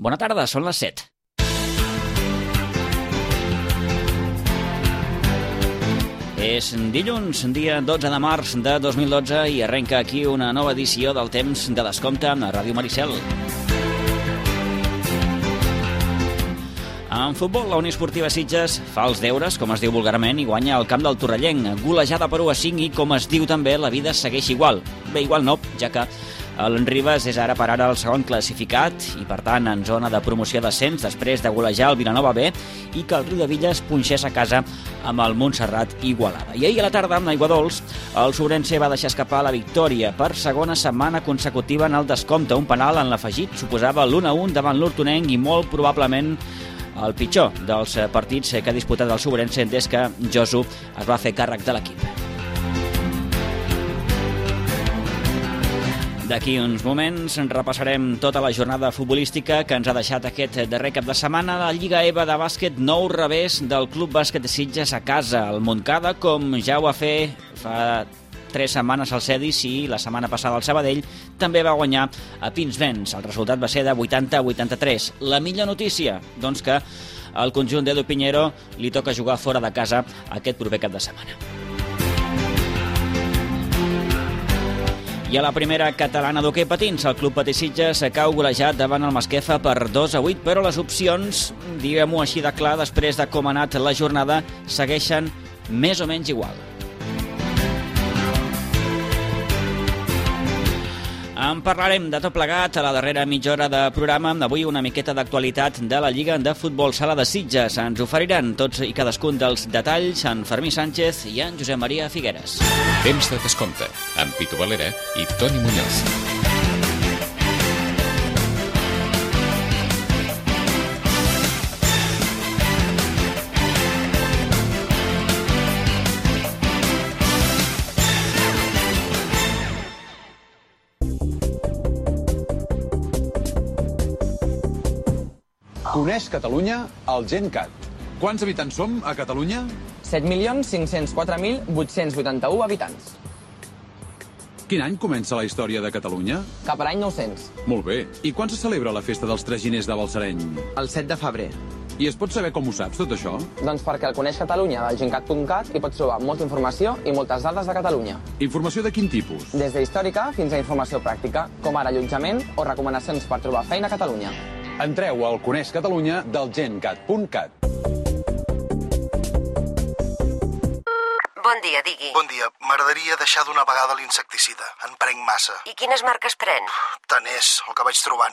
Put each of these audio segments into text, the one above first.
Bona tarda, són les 7. És dilluns, dia 12 de març de 2012 i arrenca aquí una nova edició del Temps de Descompte a Ràdio Maricel. En futbol, la Unió Esportiva Sitges fa els deures, com es diu vulgarment, i guanya al camp del Torrellenc, golejada per 1-5 i, com es diu també, la vida segueix igual. Bé, igual no, ja que l'Enribes és ara per ara el segon classificat i, per tant, en zona de promoció d'ascens després de golejar el Vilanova B i que el Riudevilles punxés a casa amb el Montserrat Igualada. I ahir a la tarda, amb Aiguadols, el Sobrense va deixar escapar la victòria per segona setmana consecutiva en el descompte. Un penal en l'afegit suposava l'1-1 davant l'Hortonenc i molt probablement el pitjor dels partits que ha disputat el Sobrense des que Josu es va fer càrrec de l'equip. D'aquí uns moments repassarem tota la jornada futbolística que ens ha deixat aquest darrer cap de setmana. La Lliga EVA de bàsquet, nou revés del Club Bàsquet de Sitges a casa. El Montcada, com ja ho va fer fa 3 setmanes al Cedis i la setmana passada al Sabadell, també va guanyar a Pinsbens. El resultat va ser de 80-83. La millor notícia, doncs, que al conjunt d'Edu Piñero li toca jugar fora de casa aquest proper cap de setmana. I a la primera catalana d'hoquei patins, el Club Patí Sitges cau golejat davant el Masquefa per 2-8, però les opcions, diguem-ho així de clar, després de com ha anat la jornada, segueixen més o menys igual. En parlarem de tot plegat a la darrera mitja hora de programa. Avui una miqueta d'actualitat de la Lliga de Futbol Sala de Sitges. Ens oferiran tots i cadascun dels detalls en Fermí Sánchez i en Josep Maria Figueres. Temps de Descompte, amb Pitu Valera i Toni Muñoz. Coneix Catalunya el GenCat. Quants habitants som a Catalunya? 7.504.881 habitants. Quin any comença la història de Catalunya? Cap a l'any 900. Molt bé. I quan se celebra la festa dels Traginers de Balsareny? El 7 de febrer. I es pot saber com ho saps, tot això? Doncs perquè el Coneix Catalunya del gencat.cat hi pots trobar molta informació i moltes dades de Catalunya. Informació de quin tipus? Des d'històrica fins a informació pràctica, com ara allotjament o recomanacions per trobar feina a Catalunya. Entreu al Coneix Catalunya del gencat.cat. Bon dia, digui. Bon dia. M'agradaria deixar d'una vegada l'insecticida. En prenc massa. I quines marques pren? Tant és, el que vaig trobant.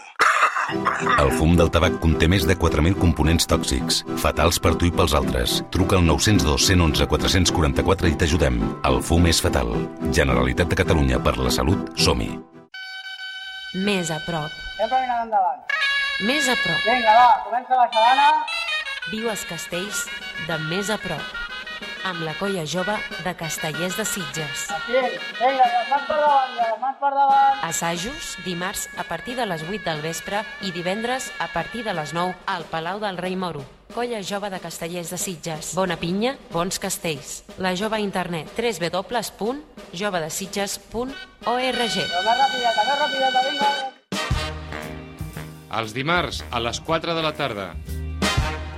El fum del tabac conté més de 4.000 components tòxics, fatals per tu i pels altres. Truca al 902 111 444 i t'ajudem. El fum és fatal. Generalitat de Catalunya, per la salut, som-hi. Més a prop. Sempre anant endavant. Més a prop. Vinga, va, comença la xalana. Viu els castells de més a prop. Amb la colla jove de Castellers de Sitges. Aquí, vinga, les mans per davant, les mans per davant. Assajos dimarts a partir de les 8 del vespre i divendres a partir de les 9 al Palau del Rei Moro. Colla jove de Castellers de Sitges. Bona pinya, bons castells. La jove a internet www.jovedesitges.org. Més rapideta, vinga. Els dimarts a les 4 de la tarda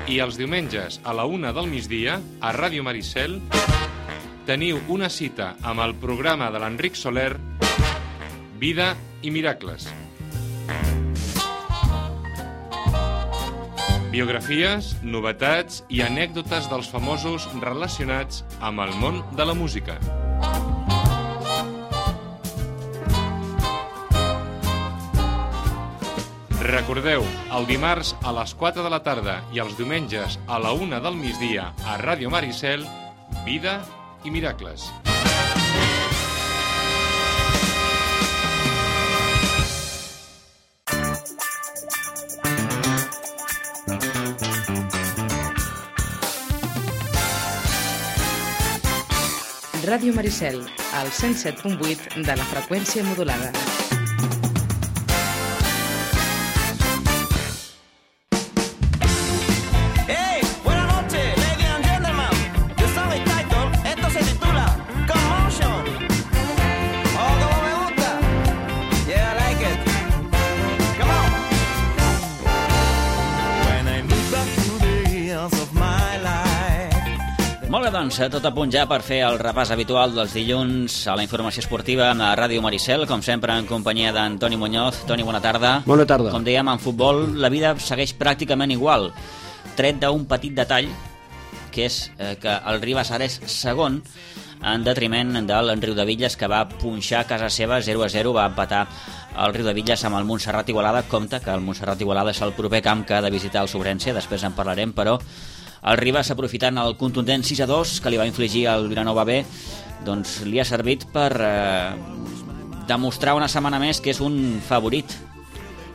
i els diumenges a la 1 del migdia a Ràdio Maricel teniu una cita amb el programa de l'Enric Soler Vida i Miracles. Biografies, novetats i anècdotes dels famosos relacionats amb el món de la música. Recordeu, el dimarts a les 4 de la tarda i els diumenges a la 1 del migdia a Ràdio Maricel, Vida i Miracles. Ràdio Maricel, al 107.8 de la freqüència modulada. doncs, tot a punt ja per fer el repàs habitual dels dilluns a la informació esportiva a Ràdio Maricel, com sempre en companyia d'Antoni Muñoz. Toni, bona tarda. Bona tarda. Com dèiem, en futbol la vida segueix pràcticament igual, tret d'un petit detall, que és que el Ribas ara és segon, en detriment del Riudebitlles, que va punxar a casa seva 0-0, va empatar el Riudebitlles amb el Montserrat Igualada. Compte que el Montserrat Igualada és el proper camp que ha de visitar el Sobrense, després en parlarem, però el Ribas, aprofitant el contundent 6-2 que li va infligir el Vilanova B, doncs li ha servit per demostrar una setmana més que és un favorit.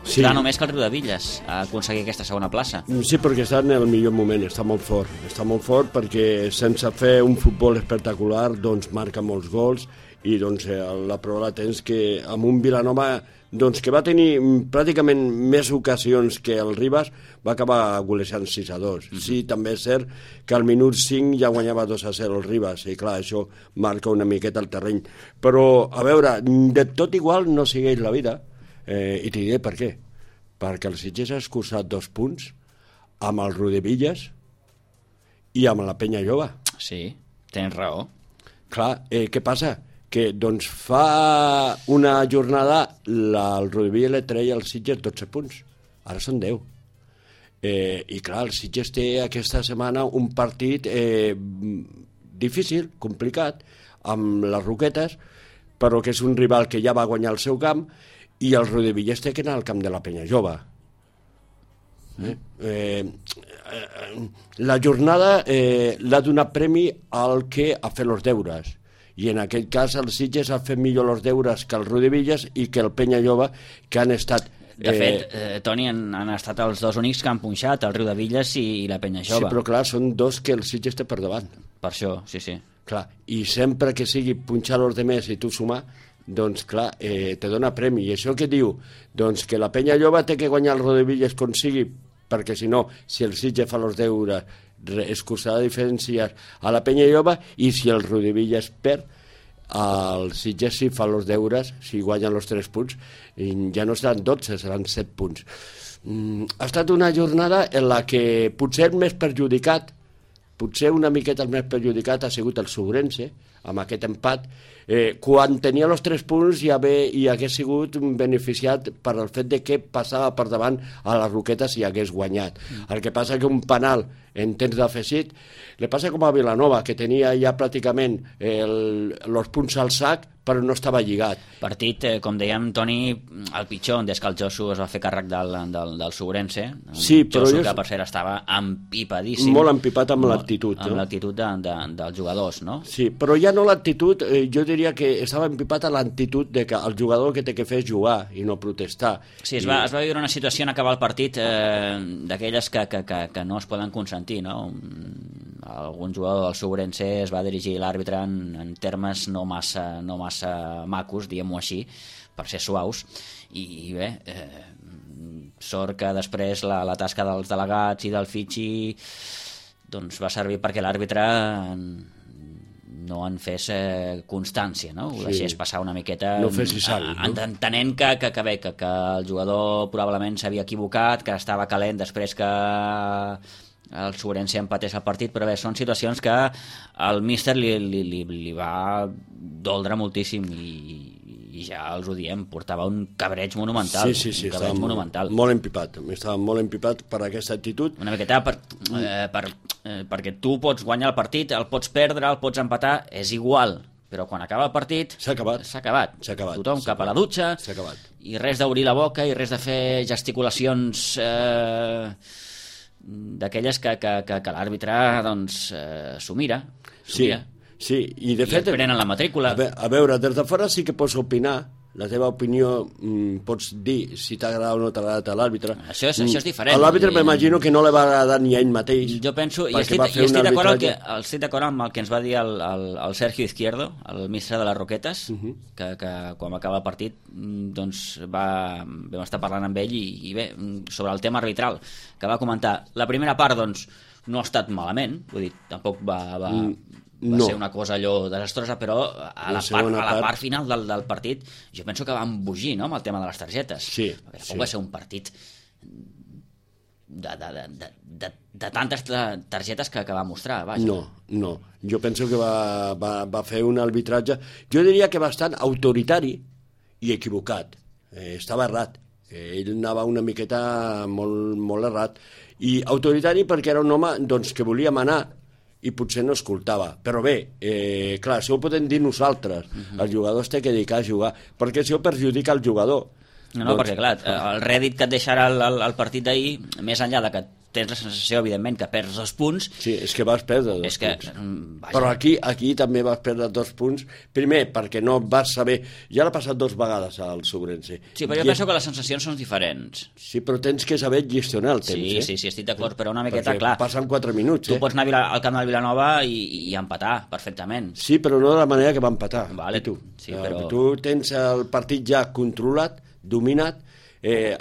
Sí. Clar, només que el Riudebitlles a aconseguir aquesta segona plaça. Sí, perquè està en el millor moment, està molt fort perquè sense fer un futbol espectacular doncs marca molts gols i doncs la prova la tens que amb un Vilanova doncs, que va tenir pràcticament més ocasions que el Ribas, va acabar golejant 6-2. Sí, també és cert que al minut 5 ja guanyava 2-0 el Ribas, i clar, això marca una miqueta el terreny. Però, a veure, de tot igual no segueix la vida, i t'hi diré per què. Perquè el Sitges ha escurçat 2 punts amb el Riudebitlles i amb la Penya Jove. Sí, tens raó. Clar, què passa? Que doncs fa una jornada el Riudebitlles li treia al Sitges 12 punts, ara són 10. I clar, el Sitges té aquesta setmana un partit difícil, complicat, amb les Roquetes, però que és un rival que ja va guanyar el seu camp, i el Riudebitlles té que anar al camp de la Penya Jove. La jornada l'ha donat premi al que ha fet els deures, i en aquest cas el Sitges ha fet millor els deures que el Riudebitlles i que el Penya Jove, que han estat... De fet, Toni, han estat els dos únics que han punxat, el Riudebitlles i la Penya Jove. Sí, però clar, són dos que el Sitges té per davant. Per això, sí. Clar, i sempre que sigui punxar els demés i tu sumar, doncs clar, te dona premi. I això què diu? Doncs que la Penya Jove té que guanyar el Riudebitlles com sigui, perquè si no, si el Sitges fa els deures, escurçarà diferències a la Penya Jove, i si el Riudebitlles perd, el Sitges si fa els deures, si guanyen els 3 punts, ja no seran 12, seran 7 punts. Ha estat una jornada en la que potser el més perjudicat, potser una miqueta el més perjudicat ha sigut el Sobrense, amb aquest empat, quan tenia els 3 punts ja hagués sigut beneficiat per el fet de que passava per davant a les Roquetes i hagués guanyat. El que passa que un penal en temps d'afegit li passa com a Vilanova, que tenia ja pràcticament els punts al sac però no estava lligat. Partit, com dèiem, Toni, el pitjor, des que el Josu es va fer càrrec del Sobrense. Sí, però Josu, que per cert estava empipadíssim. Molt empipat amb l'actitud. Amb l'actitud dels jugadors, no? Sí, però ja no l'actitud, jo diria que estava empipat a l'actitud de que el jugador que té que fer és jugar i no protestar. Sí, es va viure una situació en acabar el partit d'aquelles que no es poden consentir, no? Algun jugador del Sobrense es va dirigir a l'àrbitre en termes no massa macos, diguem-ho així, per ser suaus, i bé, sort que després la tasca dels delegats i del Fitxi doncs va servir perquè l'àrbitre no en fes constància, no? Ho deixés passar una miqueta, no fessi sang, no? Entenent que el jugador probablement s'havia equivocat, que estava calent després que el Sobrense empatés el partit, però bé, són situacions que el míster li va doldre moltíssim i ja els ho diem, portava un cabreig monumental. Sí, estava monumental. Molt empipat, estava molt empipat per aquesta actitud. Una miqueta perquè tu pots guanyar el partit, el pots perdre, el pots empatar, és igual, però quan acaba el partit s'ha acabat. Tothom cap a la dutxa i res d'obrir la boca i res de fer gesticulacions d'aquelles que l'àrbitre doncs s'ho mira. Sí, i de fet... prenen la matrícula. A veure, des de fora sí que pots opinar, la teva opinió pots dir si t'ha agradat o no t'ha agradat a l'àrbitre. Això és diferent. A l'àrbitre m'imagino que no li va agradar ni a ell mateix. Jo penso, i estic d'acord amb el que ens va dir el Sergio Izquierdo, el ministre de les Roquetes, que quan va acabar el partit doncs vam estar parlant amb ell i bé, sobre el tema arbitral, que va comentar, la primera part doncs no ha estat malament, vull dir, tampoc va ser una cosa allò desastrosa, però a la part final del partit jo penso que va embogir, no?, amb el tema de les targetes. Sí. Tampoc va ser un partit de tantes targetes que va mostrar. Vaja. No. Jo penso que va fer un arbitratge, jo diria que bastant autoritari i equivocat. Estava errat. Ell anava una miqueta molt errat. I autoritari perquè era un home doncs, que volia manar i potser no escoltava. Però bé, clar, això ho podem dir nosaltres. Els jugadors té que dedicar a jugar, perquè això perjudica el jugador. No, perquè clar, el rèdit que et deixarà el partit d'ahir, més enllà de que tens la sensació, evidentment, que perds 2 punts... Sí, és que vas perdre 2 punts. Però aquí també vas perdre 2 punts. Primer, perquè no vas saber... Ja l'ha passat 2 vegades al Sobrense. Sí, però jo penso que les sensacions són diferents. Sí, però tens que saber gestionar el temps. Sí, estic d'acord, però una miqueta, clar... Passen 4 minuts, Tu pots anar al camp del Vilanova i empatar, perfectament. Sí, però no de la manera que va empatar. Vale, tu. Sí, però... Tu tens el partit ja controlat, dominat,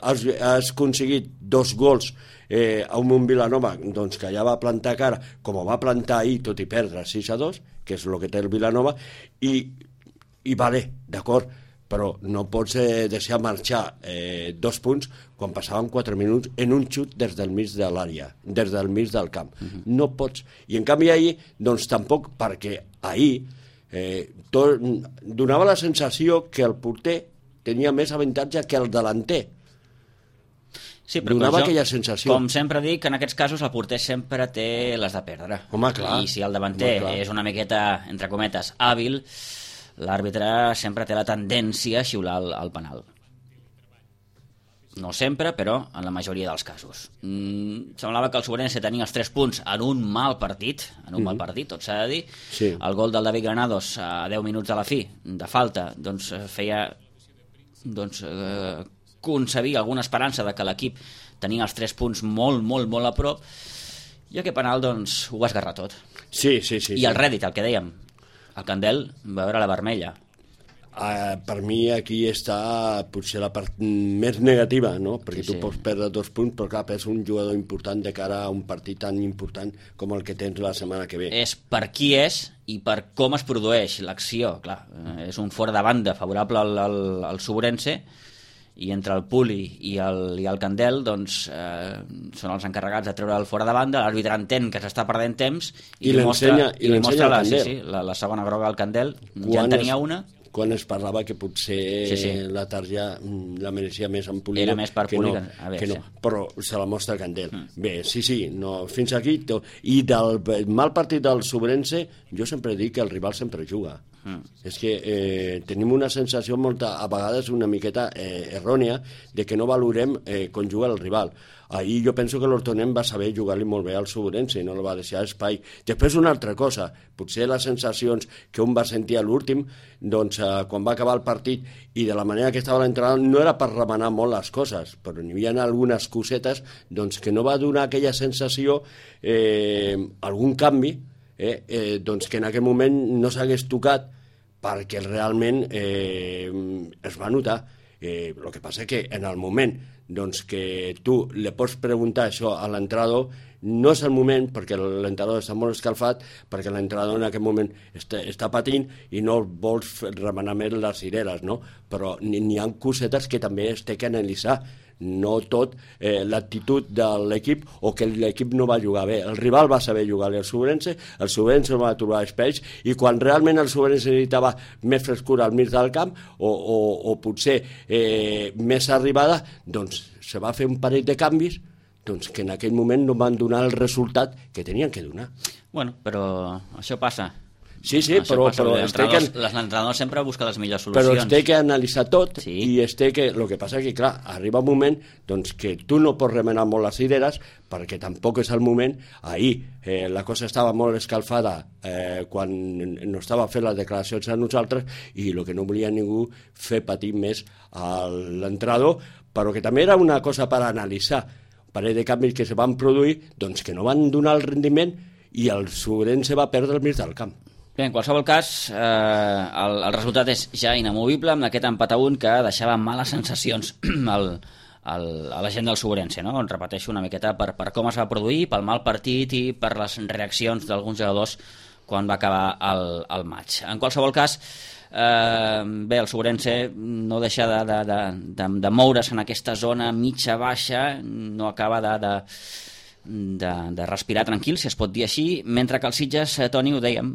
has aconseguit 2 gols a un Vilanova doncs, que ja va plantar cara, com ho va plantar ahir, tot i perdre 6-2, que és el que té el Vilanova, i vale, d'acord, però no pots deixar marxar 2 punts quan passaven 4 minuts en un xut des del mig de l'àrea, des del mig del camp. No pots. I en canvi ahir, doncs tampoc, perquè ahir donava la sensació que el porter tenia més avantatge que el delanter. Sí, però donava aquella sensació. Com sempre dic, en aquests casos el porter sempre té les de perdre. Home, clar. I si el davanter és una miqueta, entre cometes, hàbil, l'àrbitre sempre té la tendència a xiular el penal. No sempre, però en la majoria dels casos. Semblava que el Sobrense tenia els 3 punts en un mal partit, tot s'ha de dir. Sí. El gol del David Granados a 10 minuts de la fi, de falta, doncs feia concebir alguna esperança de que l'equip tenia els 3 punts molt a prop, i aquest penal doncs ho va esgarrar tot. Sí. I el rèdit, el que dèiem, el Candel va veure la vermella. Per mi aquí està potser la part més negativa, no? Perquè tu pots perdre 2 punts, però clar, és un jugador important de cara a un partit tan important com el que tens la setmana que ve. És per qui és i per com es produeix l'acció, clar. És un fora de banda favorable al Sobrense, i entre el Puli i el Candel doncs, són els encarregats de treure el fora de banda. L'àrbitre entén que s'està perdent temps i li mostra la segona groga al Candel. Ja en tenia una. Quan es parlava que potser la tarja la mereixia més en Puli. Era més per Puli que no, però se la mostra Candel. Bé, fins aquí. I del mal partit del Sobrense, jo sempre dic que el rival sempre juga. És que tenim una sensació a vegades una miqueta errònia de que no valorem quan juga el rival. Ahir jo penso que l'Hortonem va saber jugar-li molt bé al Sobrense i no li va deixar espai. Després una altra cosa, potser les sensacions que un va sentir a l'últim, doncs quan va acabar el partit i de la manera que estava l'entrenador no era per remenar molt les coses, però n'hi havia algunes cosetes doncs, que no va donar aquella sensació, algun canvi, doncs que en aquell moment no s'hagués tocat perquè realment es va notar. El que passa que en el moment doncs, que tu li pots preguntar això a l'entrenador, no és el moment, perquè l'entrenador està molt escalfat, perquè l'entrenador en aquest moment està patint i no vols remenar més les cireres, no? Però n'hi ha cosetes que també es té que analitzar. No tot l'actitud de l'equip o que l'equip no va jugar bé. El rival va saber jugar-li al Sobrense, el Sobrense va trobar espais, i quan realment el Sobrense necessitava més frescura al mig del camp o potser més arribada, doncs se va fer un parell de canvis doncs, que en aquell moment no van donar el resultat que tenien que donar. Bueno, però això passa. Sí, però l'entrenador sempre busca les millors solucions. Però es té que analitzar tot, i es té que... El que passa que, clar, arriba un moment doncs, que tu no pots remenar molt les idees, perquè tampoc és el moment. Ahir la cosa estava molt escalfada quan no estava fent les declaracions a nosaltres, i el que no volia ningú fer patir més a l'entrenador, però que també era una cosa per analitzar. Un parell de canvis que se van produir, doncs que no van donar el rendiment, i el Sobrense va perdre el mig del camp. Bé, en qualsevol cas, el resultat és ja inamovible amb aquest empat a 1 que deixava males sensacions a la gent del Sobrense, no? Repeteixo una miqueta per com es va produir, pel mal partit i per les reaccions d'alguns jugadors quan va acabar el maig. En qualsevol cas, Bé, el Sobrense no deixa de moure's en aquesta zona mitja-baixa, no acaba de respirar tranquil, si es pot dir així, mentre que el Sitges, Toni, ho dèiem,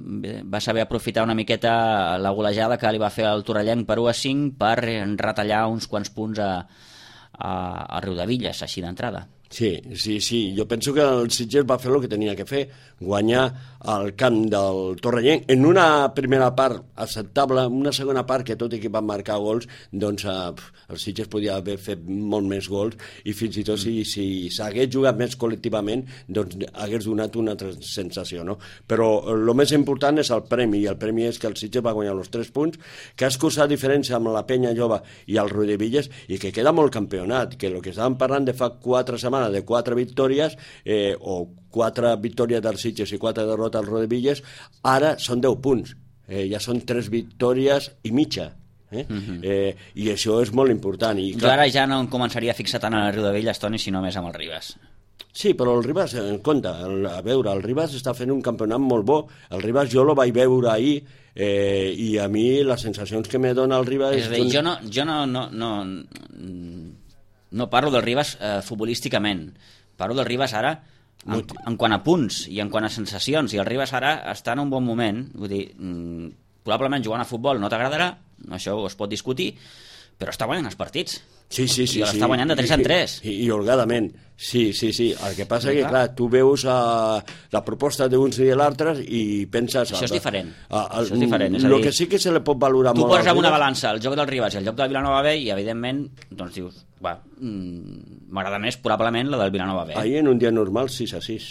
va saber aprofitar una miqueta la golejada que li va fer el Torrellenc per 1-5 per retallar uns quants punts a Riudevilles, així d'entrada. Sí, jo penso que el Sitges va fer el que tenia que fer, guanyar al camp del Torrellenc en una primera part acceptable, una segona part que tot i que van marcar gols, doncs el Sitges podia haver fet molt més gols i fins i tot si s'hagués jugat més col·lectivament doncs hagués donat una altra sensació, no? Però el més important és el premi, i el premi és que el Sitges va guanyar els 3 punts, que ha escurçat diferència amb la Penya Jove i el Riudevilles i que queda molt campionat, que el que estàvem parlant de fa 4 setmanes de 4 victòries o 4 victòries del Sitges i 4 derrotes al Riudevilles, ara són 10 punts, ja són 3 victòries i mitja. I això és molt important. I, clar, ara ja no em començaria a fixar tant en el Riudevilles, Toni, sinó més amb el Ribas. Sí, però el Ribas, en compte, a veure, el Ribas està fent un campionat molt bo. El Ribas jo lo vaig veure ahir i a mi les sensacions que me dona el Ribas... És a dir, jo no parlo del Ribas futbolísticament, parlo del Ribas ara en quant a punts i en quant a sensacions, i el Ribas ara està en un bon moment, vull dir, probablement jugant a futbol no t'agradarà, això es pot discutir, però està guanyant els partits. Sí. I l'està guanyant de 3 en 3. I holgadament. Sí. El que passa és que, clar, tu veus la proposta d'uns i de l'altres i penses... Això és diferent. Això és diferent. El que sí que se li pot valorar molt... Tu poses amb una balança el joc del Ribas i el joc del Vilanova B i, evidentment, doncs dius, m'agrada més probablement la del Vilanova B. Ahir, en un dia normal, 6-6.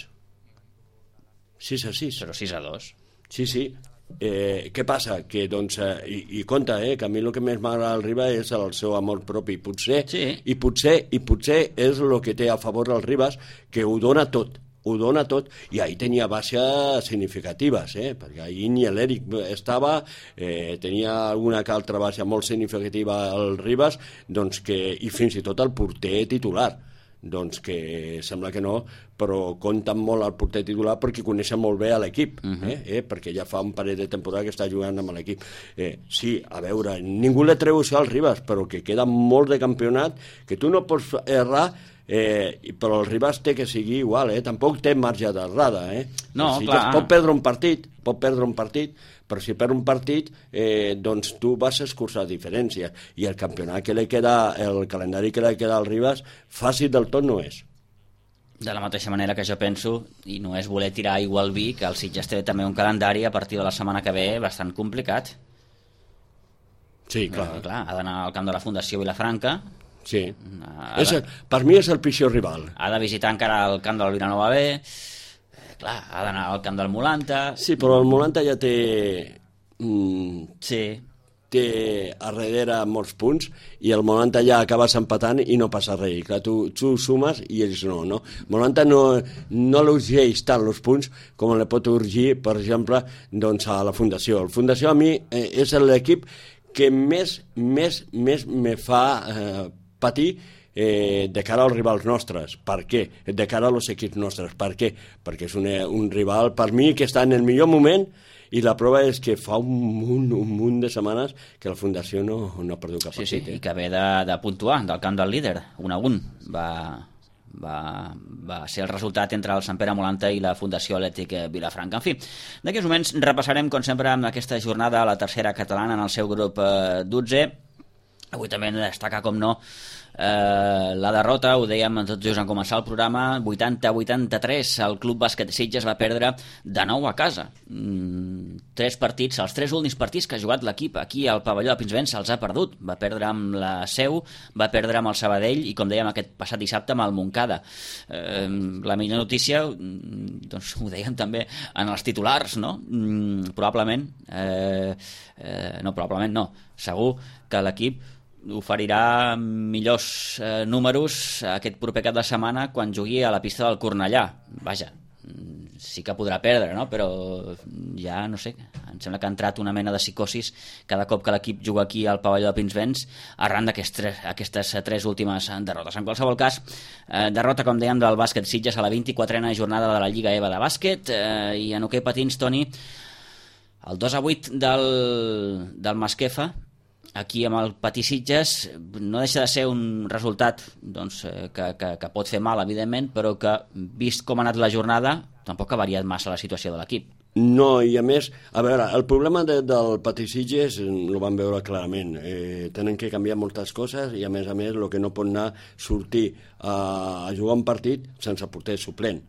6-6. Però 6-2. Sí. Què passa? Que, doncs, i compte, que a mi el que més m'agrada al Ribas és el seu amor propi, potser és el que té a favor el Ribas, que ho dona tot, i ahir tenia baixes significatives, perquè ahir ni l'Eric estava, tenia alguna que altra baixa molt significativa al Ribas, doncs i fins i tot el porter titular, doncs que sembla que no, però compten molt el porter titular perquè coneixen molt bé a l'equip, perquè ja fa un parell de temporada que està jugant amb l'equip. Sí, a veure, ningú li treu això al Ribas, però que queda molt de campionat, que tu no pots errar, però el Ribas té que seguir igual, tampoc té marge d'errada. No, clar. Pot perdre un partit, però si perd un partit, doncs tu vas escurçar diferències, i el campionat que li queda, el calendari que li queda al Ribas, fàcil del tot no és. De la mateixa manera que jo penso, i no és voler tirar aigua al vi, que el Sitges té també un calendari a partir de la setmana que ve bastant complicat. Sí, clar. Ha d'anar al camp de la Fundació Vilafranca. Sí. Per mi és el pitjor rival. Ha de visitar encara el camp del Vilanova B. Clar, ha d'anar al camp del Molanta. Sí, però el Molanta ja té... té a darrere molts punts i el Molanta ja acabes empatant i no passa res. Clar, tu sumes i ells no. Molanta no l'urgeix tant els punts com li pot urgir, per exemple, doncs a la Fundació. La Fundació a mi és l'equip que més me fa patir de cara als rivals nostres. Per què? De cara als equips nostres. Per què? Perquè és un rival, per mi, que està en el millor moment, i la prova és que fa un munt de setmanes que la Fundació no ha perdut cap partit. Sí, i que ve de puntuar del camp del líder, 1-1. Va ser el resultat entre el Sant Pere Molanta i la Fundació Atlètic Vilafranca. En fi, d'aquí uns moments repassarem, com sempre, amb aquesta jornada a la tercera catalana en el seu grup 12. Avui també hem de destacar, com no, la derrota, ho dèiem tot just en començar el programa, 80-83, el Club Bàsquet Sitges va perdre de nou a casa. 3 partits, els 3 últims partits que ha jugat l'equip aquí al pavelló de Pinsbens se'ls ha perdut. Va perdre amb la Seu, va perdre amb el Sabadell i, com dèiem, aquest passat dissabte amb el Montcada. La millor notícia, doncs ho dèiem també en els titulars, no? Segur que l'equip oferirà millors números aquest proper cap de setmana quan jugui a la pista del Cornellà. Vaja, sí que podrà perdre, no? Però ja, no sé, em sembla que ha entrat una mena de psicosis cada cop que l'equip juga aquí al pavelló de Pinsbens arran d'aquestes 3 últimes derrotes. En qualsevol cas, derrota, com dèiem, del bàsquet Sitges a la 24a jornada de la Lliga EVA de bàsquet, i en hoquei patins, Toni, El 2-8 del Masquefa, aquí amb el Patí Sitges, no deixa de ser un resultat doncs, que pot fer mal, evidentment, però que, vist com ha anat la jornada, tampoc ha variat massa la situació de l'equip. No, i a més, a veure, el problema del Patí Sitges ho vam veure clarament. Tenen que canviar moltes coses i, a més, el que no pot anar sortir a jugar un partit sense porter suplent.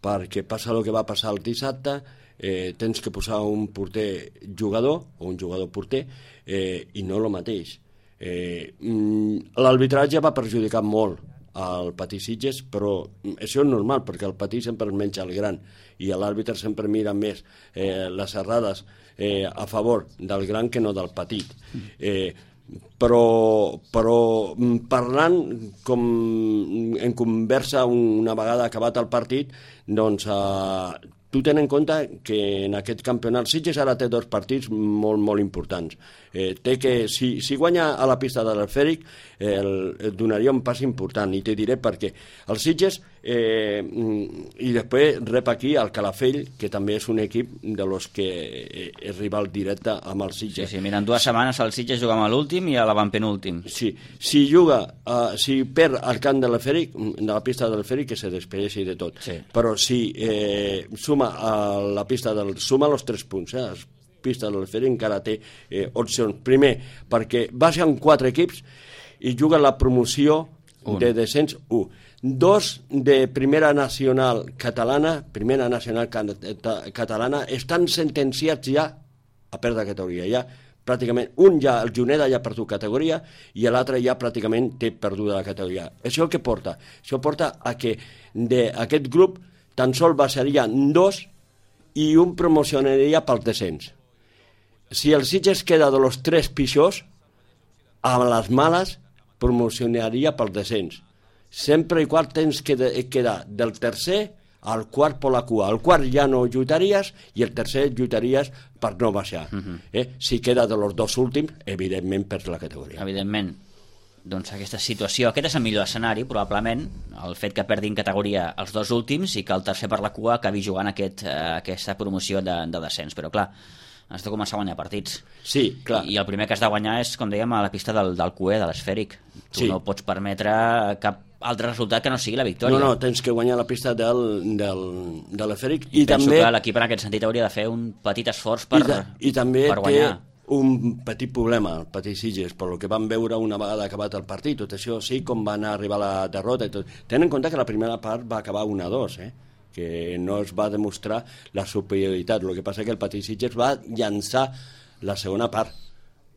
Perquè passa el que va passar el dissabte, tens que posar un porter jugador o un jugador porter i no el mateix. L'arbitratge va perjudicar molt al Patí Sitges, però això és normal perquè el Patí sempre es menja el gran i l'àrbitre sempre mira més les errades a favor del gran que no del petit. Però parlant com en conversa una vegada acabat el partit, doncs tu ten en compte que en aquest campionat Sitges ara té 2 partits molt, molt importants. Té que, si guanya a la pista de l'Esfèric, donaria un pas important, i te diré per què. El Sitges, i després rep aquí el Calafell, que també és un equip de los que és rival directe amb el Sitges. Sí, mira, en 2 setmanes el Sitges juga amb l'últim i a l'avantpenúltim. Sí, si perd al camp de l'Esfèric, de la pista de l'Esfèric, que se despedeixi de tot. Sí. Però si suma a la pista suma els 3 punts, la pista de l'Esfèric encara té opcions. Primer, perquè va ser amb 4 equips i juga la promoció de descens 1. 2 de primera nacional catalana, estan sentenciats ja a perdre categoria. Ja pràcticament, un ja, el Juneda ja ha perdut categoria i l'altre ja pràcticament té perduda la categoria. Això què porta? Això porta a que d'aquest grup tan sols baixarien 2 i un promocionaria pel descens. Si el Sitges queda de los 3 pitjors, a les males promocionaria pel descens. Sempre i qual tens que quedar del tercer al quart per la cua. El quart ja no lluitaries i el tercer lluitaries per no baixar. Si queda de los 2 últims, evidentment perds la categoria. Evidentment. Doncs aquesta situació, aquest és el millor escenari, probablement, el fet que perdin categoria els 2 últims i que el tercer per la cua acabi jugant aquesta promoció de descens. Però clar, has de començar a guanyar partits. Sí, clar. I el primer que has de guanyar és, com dèiem, a la pista del Cué, de l'Esfèric. Tu no pots permetre cap altre resultat que no sigui la victòria. No, tens que guanyar la pista de l'Esfèric. I penso que l'equip en aquest sentit hauria de fer un petit esforç per guanyar. I també té un petit problema, el Patí Sitges, per el que vam veure una vegada acabat el partit. Tot això sí, com va anar a arribar la derrota i tot. Ten en compte que la primera part va acabar 1-2, que no es va demostrar la superioritat. El que passa que el Patí Sitges va llançar la segona part.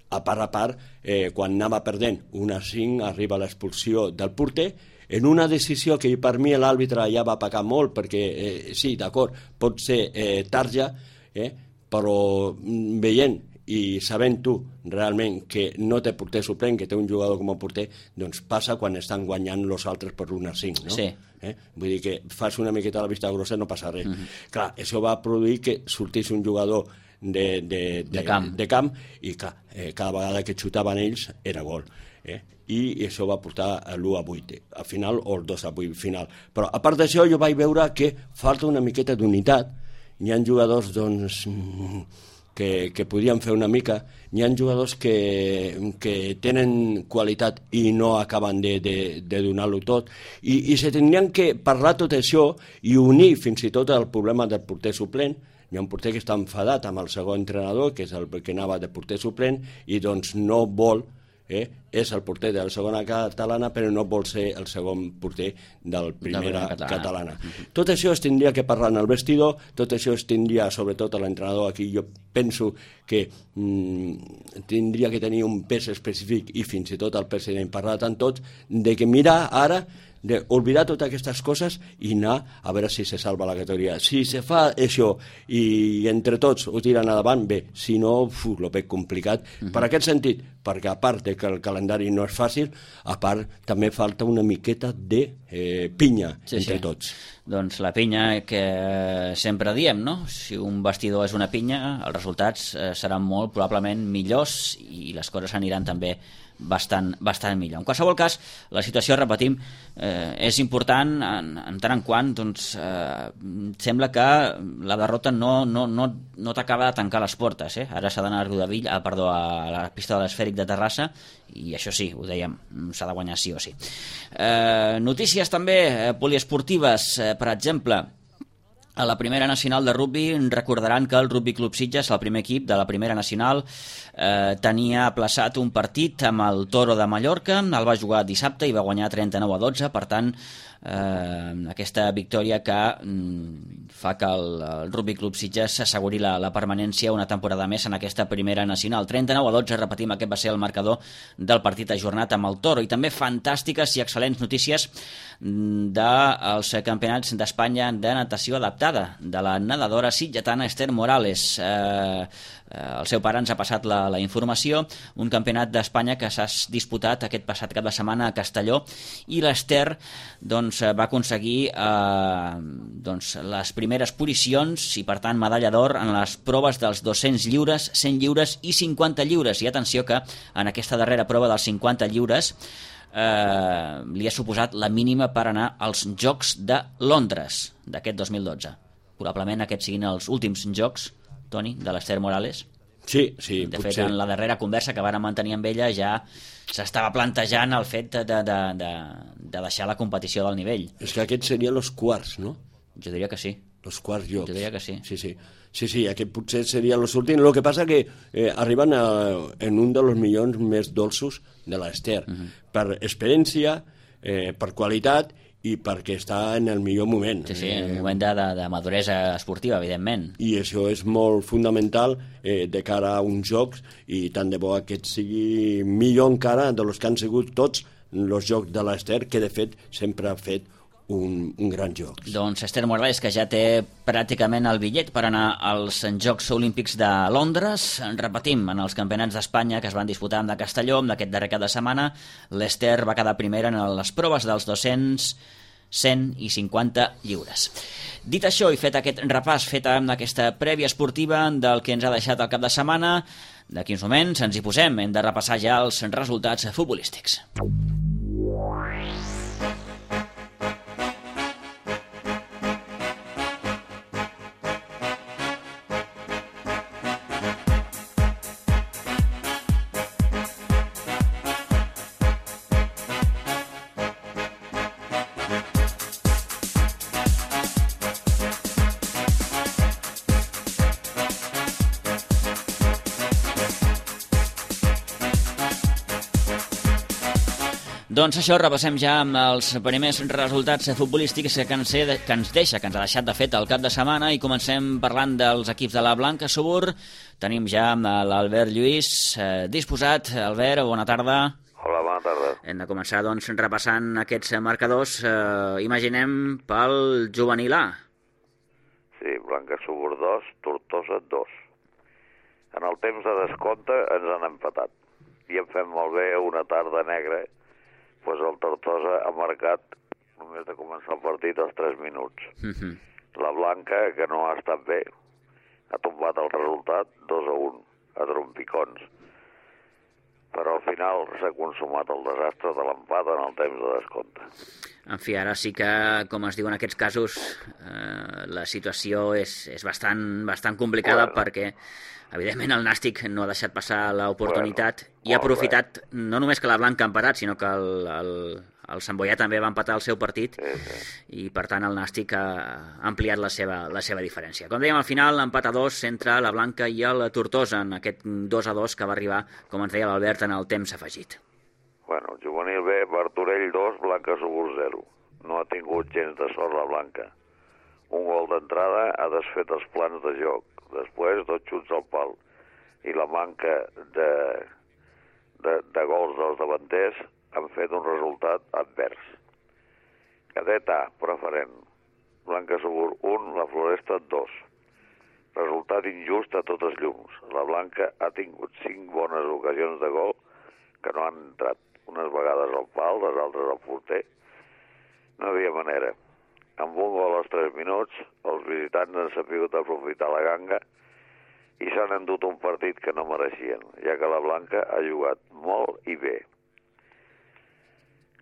A part, quan anava perdent 1-5, arriba l'expulsió del porter, en una decisió que per mi l'àrbitre ja va pagar molt, perquè sí, d'acord, pot ser tarja, però veient i sabent tu realment que no té porter suplent, que té un jugador com a porter, doncs passa quan estan guanyant els altres per 1-5, no? Sí. Vull dir que fas una miqueta a la vista grossa, no passa res. Clar, això va produir que sortís un jugador de camp i clar, cada vegada que xutaven ells era gol. I això va portar l'1-8 al final, o el 2-8 final. Però a part d'això jo vaig veure que falta una miqueta d'unitat. Hi ha jugadors doncs que podien fer una mica, hi ha jugadors que tenen qualitat i no acaben de donar-lo tot, i se tindrien que parlar tot això i unir fins i tot el problema del porter suplent. Hi ha un porter que està enfadat amb el segon entrenador, que és el que anava de porter suplent, i doncs no vol, és el porter de la segona catalana, però no vol ser el segon porter del primera catalana. Tot això es tindria que parlar en el vestidor, tot això es tindria, sobretot a l'entrenador, aquí jo penso que tindria que tenir un pes específic, i fins i tot el president parlar tant tots, de que mirar ara d'oblidar totes aquestes coses i anar a veure si se salva la categoria. Si se fa això i entre tots ho tiren endavant, bé, si no, lo veig complicat. Per aquest sentit, perquè a part que el calendari calendari no és fàcil, a part també falta una miqueta de pinya entre tots. Doncs la pinya que sempre diem, no? Si un vestidor és una pinya, els resultats seran molt probablement millors i les coses aniran també bastant millor. En qualsevol cas, la situació, repetim, és important en tant en quant sembla que la derrota no t'acaba de tancar les portes. Ara s'ha d'anar a la pista de l'Esfèric de Terrassa i això sí, ho dèiem, s'ha de guanyar sí o sí. Notícies també poliesportives, per exemple, a la primera nacional de rugby recordaran que el Rugby Club Sitges, el primer equip de la primera nacional, tenia aplaçat un partit amb el Toro de Mallorca, el va jugar dissabte i va guanyar 39-12, per tant aquesta victòria que fa que el Rugby Club Sitges s'asseguri la permanència una temporada més en aquesta primera nacional. 39-12, repetim, aquest va ser el marcador del partit ajornat amb el Toro. I també fantàstiques i excel·lents notícies dels campionats d'Espanya de natació adaptada, de la nedadora sitgetana Esther Morales. El seu pare ens ha passat la informació, un campionat d'Espanya que s'ha disputat aquest passat cap de setmana a Castelló, i l'Esther va aconseguir les primeres posicions i per tant medalla d'or en les proves dels 200 lliures, 100 lliures i 50 lliures. I atenció que en aquesta darrera prova dels 50 lliures li ha suposat la mínima per anar als Jocs de Londres d'aquest 2012. Probablement aquests siguin els últims jocs, Toni, de l'Esther Morales. Sí, de fet, en la darrera conversa que vàrem mantenir amb ella ja s'estava plantejant el fet de deixar la competició del nivell. És que aquests serien els quarts, no? Jo diria que sí. Els quarts jocs. Jo diria que sí. Sí, aquest potser seria els últims. El que passa que arriben en un dels milions més dolços de l'Esther, per experiència, per qualitat i perquè està en el millor moment. Sí, en un moment de maduresa esportiva, evidentment. I això és molt fundamental de cara a uns jocs, i tant de bo aquest sigui millor encara dels que han sigut tots els jocs de l'Esther, que de fet sempre ha fet un gran joc. Doncs Esther Morales, que ja té pràcticament el bitllet per anar als Jocs Olímpics de Londres. Repetim, en els campionats d'Espanya que es van disputar de Castelló d'aquest darrer cap de setmana, l'Esther va quedar primera en les proves dels 200, 100 i 50 lliures. Dit això i fet aquest repàs, feta amb aquesta prèvia esportiva del que ens ha deixat el cap de setmana, d'aquí uns moments ens hi posem, hem de repassar ja els resultats futbolístics. Doncs això, repassem ja amb els primers resultats futbolístics que ens ha deixat de fet el cap de setmana, i comencem parlant dels equips de la Blanca Subur. Tenim ja l'Albert Lluís disposat. Albert, bona tarda. Hola, bona tarda. Hem de començar doncs repassant aquests marcadors, imaginem pel juvenil A. Sí, Blanca Subur 2, Tortosa 2. En el temps de descompte ens han empatat i hem fet molt bé una tarda negra. Pues el Tortosa ha marcat, només de començar el partit, als 3 minuts. La Blanca, que no ha estat bé, ha tombat el resultat 2-1 a trompicons. Però al final s'ha consumat el desastre de l'empat en el temps de descompte. En fi, ara sí que, com es diu en aquests casos, la situació és bastant complicada, perquè evidentment el Nàstic no ha deixat passar l'oportunitat i ha aprofitat no només que la Blanca ha empatat, sinó que el Sant Boià també va empatar el seu partit, i per tant el Nàstic ha ampliat la seva diferència. Com dèiem, al final empat a 2 entre la Blanca i el Tortosa, en aquest 2-2 que va arribar, com ens deia l'Albert, en el temps afegit. Bueno, juvenil B, Martorell 2, Blanca Subur 0. No ha tingut gens de sort la Blanca. Un gol d'entrada ha desfet els plans de joc. Després, 2 xuts al pal. I la manca de gols dels davanters han fet un resultat advers. Cadet A, preferent. Blanca Subur 1, la Floresta 2. Resultat injust a totes llums. La Blanca ha tingut 5 bones ocasions de gol, que no han entrat. Unes vegades al pal, les altres al porter. No hi havia manera. Amb un gol als 3 minuts, els visitants han sabut aprofitar la ganga i s'han endut un partit que no mereixien, ja que la Blanca ha jugat molt i bé.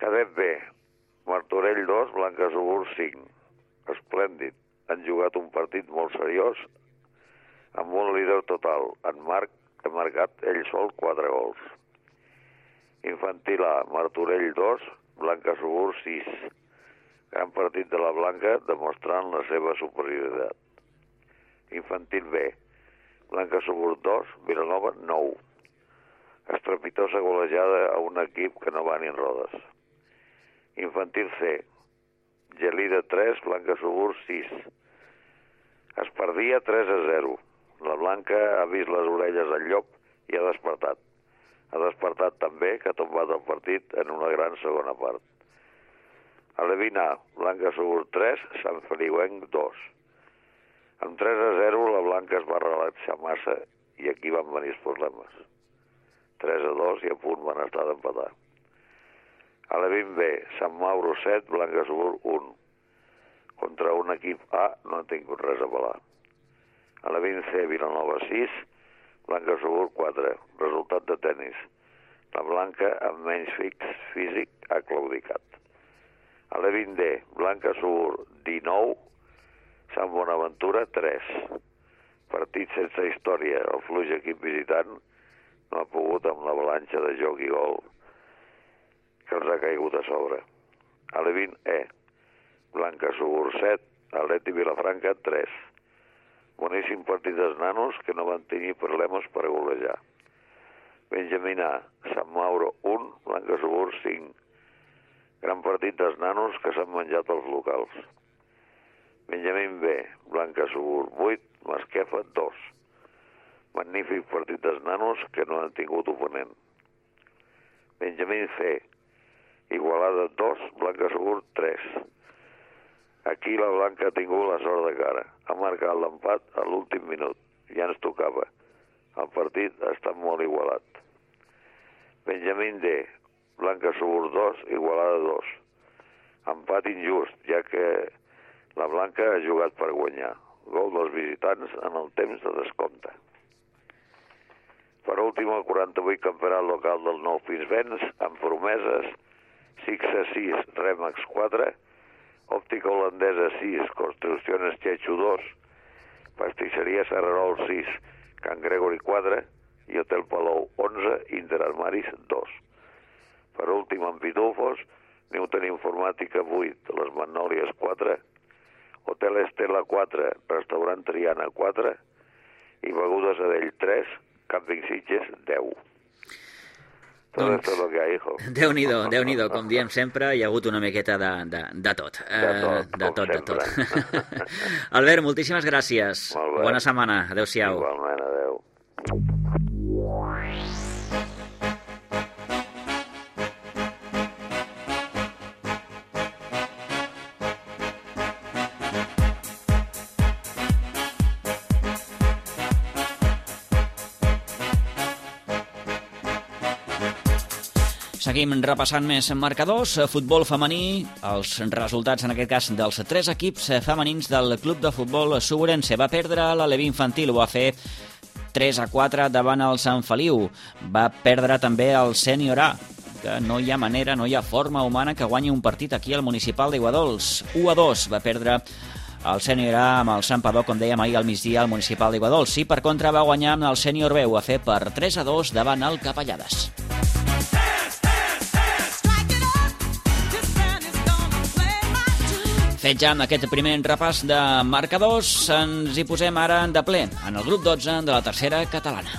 Cadet B, Martorell 2, Blanca Subur 5. Esplèndid. Han jugat un partit molt seriós amb un líder total. En Marc ha marcat ell sol 4 gols. Infantil A, Martorell 2, Blanca Subur 6. Gran partit de la Blanca demostrant la seva superioritat. Infantil B, Blanca Subur 2, Vilanova 9. Estrepitosa golejada a un equip que no va ni en rodes. Infantil C, Gelida 3, Blanca Subur 6. Es perdia 3-0. La Blanca ha vist les orelles al llop i ha despertat. Ha despertat també que ha tombat el partit en una gran segona part. A l'Evina, Blanca Subur 3, Sant Feliuenc 2. Amb 3-0 la Blanca es va relaxar massa i aquí van venir els problemes. 3-2 i a punt van estar d'empatar. A l'Evin B, Sant Mauro 7, Blanca Subur 1. Contra un equip A no ha tingut res a pelar. A l'Evin C, Vilanova 6, Blanca Subur 4. Resultat de tennis. La Blanca amb menys físic ha claudicat. A l'Evin D, Blanca Subur 19, Sant Bonaventura 3. Partit sense història. El fluix equip visitant no ha pogut amb l'avalanxa de joc i gol que els ha caigut a sobre. A l'Evin E, Blanca Subur 7, Atleti Vilafranca 3. Boníssim partit dels nanos que no van tenir problemes per golejar. Benjamín A, Sant Mauro 1, Blanca Subur 5. Gran partit dels nanos que s'han menjat els locals. Benjamín B, Blanca Subur 8, Masquefa 2. Magnífic partit dels nanos que no han tingut oponent. Benjamín C, Igualada 2, Blanca Subur 3. Aquí la Blanca ha tingut la sort de cara. Ha marcat l'empat a l'últim minut. Ja ens tocava. El partit ha estat molt igualat. Benjamín D, Blanca Subur 2, Igualada 2. Empat injust, ja que la Blanca ha jugat per guanyar. Gol dels visitants en el temps de descompte. Per últim, el 48 campionat local del Nou Pinsbens, amb promeses, Sixa 6, Remax 4, Òptica Holandesa 6, Construcciones Chechu 2, Pastisseria Serrarol 6, Can Gregori 4 i Hotel Palou 11, Interarmaris 2. Per últim, en Pitufos, Newton Informàtica 8, Les Magnòlies 4, Hotel Estela 4, Restaurant Triana 4 i Begudes Adell 3, Camping Sitges 10. Tot esto es lo que hay, hijo. Déu-n'hi-do, com diem sempre, hi ha hagut una miqueta de tot. De tot. Albert, moltíssimes gràcies. Bona setmana. Adéu-siau. Igualment, adéu. Seguim repassant més marcadors. Futbol femení, els resultats en aquest cas dels 3 equips femenins del club de futbol Suburense. Va perdre l'Aleví Infantil, ho va fer 3-4 davant el Sant Feliu. Va perdre també el Sènior A, que no hi ha manera, no hi ha forma humana que guanyi un partit aquí al municipal d'Iguadols. 1-2 va perdre el Sènior A amb el Santpedor, com dèiem ahir al migdia, al municipal d'Iguadols. I per contra va guanyar amb el Sènior B, ho va fer per 3-2 davant el Capellades. Fet ja amb aquest primer repàs de marcadors, ens hi posem ara de ple en el grup 12 de la tercera catalana.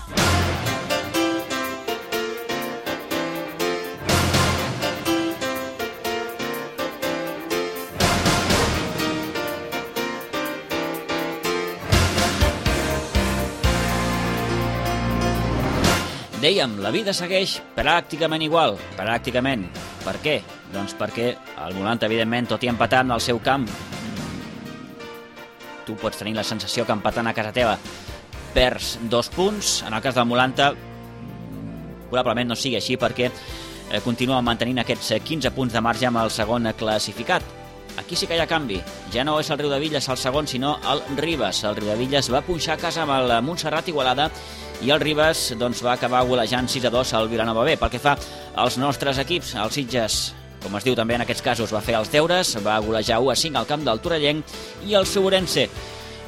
Dèiem, la vida segueix pràcticament igual, pràcticament. Per què? Doncs perquè el Molant, evidentment, tot i empatant al seu camp, tu pots tenir la sensació que empatant a casa teva perds 2 punts. En el cas del Molanta, probablement no sigui així perquè continua mantenint aquests 15 punts de marge amb el segon classificat. Aquí sí que hi ha canvi. Ja no és el Riudebitlles el segon, sinó el Ribes. El Riudebitlles va punxar a casa amb el Montserrat Igualada i el Ribes doncs, va acabar golejant 6-2 al Vilanova B. Pel que fa als nostres equips, el Sitges, com es diu també en aquests casos, va fer els deures, va golejar 1-5 al camp del Torellenc, i el Segurense,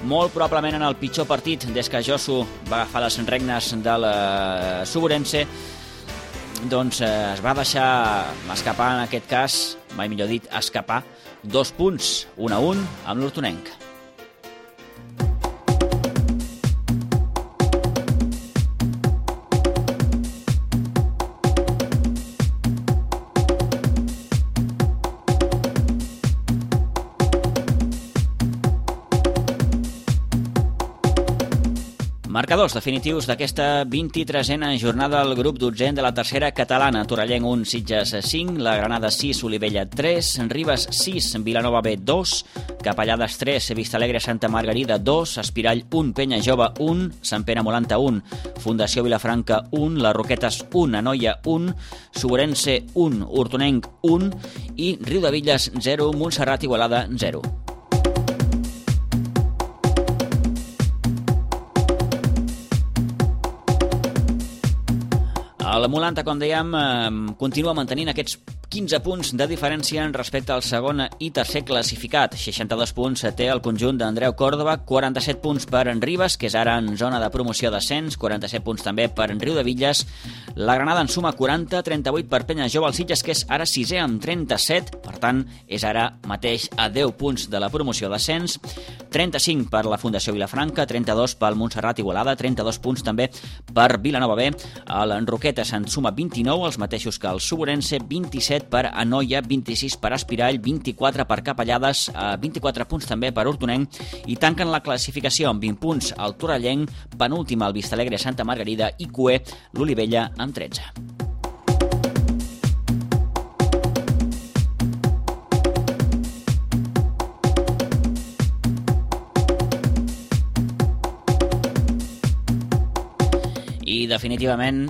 molt probablement en el pitjor partit des que Josu va agafar les regnes del Segurense, doncs es va deixar escapar en aquest cas, mai millor dit, escapar 2 punts, 1-1 amb l'Hortonenc. Marcadors definitius d'aquesta 23a jornada del grup 12 de la tercera catalana. Torellenc 1, Sitges 5, la Granada 6, Olivella 3, Ribes 6, Vilanova B 2, Capellades 3, Vistalegre Santa Margarida 2, Espirall 1, Penya Jove 1, Sant Pere Molanta 1, Fundació Vilafranca 1, Les Roquetes 1, Anoia 1, Segurense 1, Hortonenc 1 i Riudebitlles 0, Montserrat Igualada 0. El Molanta, com dèiem, continua mantenint aquests 15 punts de diferència respecte al segon i tercer classificat. 62 punts té el conjunt d'Andreu Còrdova, 47 punts per en Ribes, que és ara en zona de promoció d'ascens, 47 punts també per en Riudebitlles. La Granada en suma 40, 38 per Penya Jove, el Sitges, que és ara 6è amb 37, per tant, és ara mateix a 10 punts de la promoció d'ascens, 35 per la Fundació Vilafranca, 32 pel Montserrat Igualada, 32 punts també per Vilanova B. El Roquetes en suma 29, els mateixos que el Segurense, 27 per Anoia, 26 per Espirall, 24 per Capellades, 24 punts també per Hortonenc, i tanquen la classificació amb 20 punts el Torellenc, penúltim el Vistalegre Santa Margarida i cué l'Olivella amb 13. I definitivament,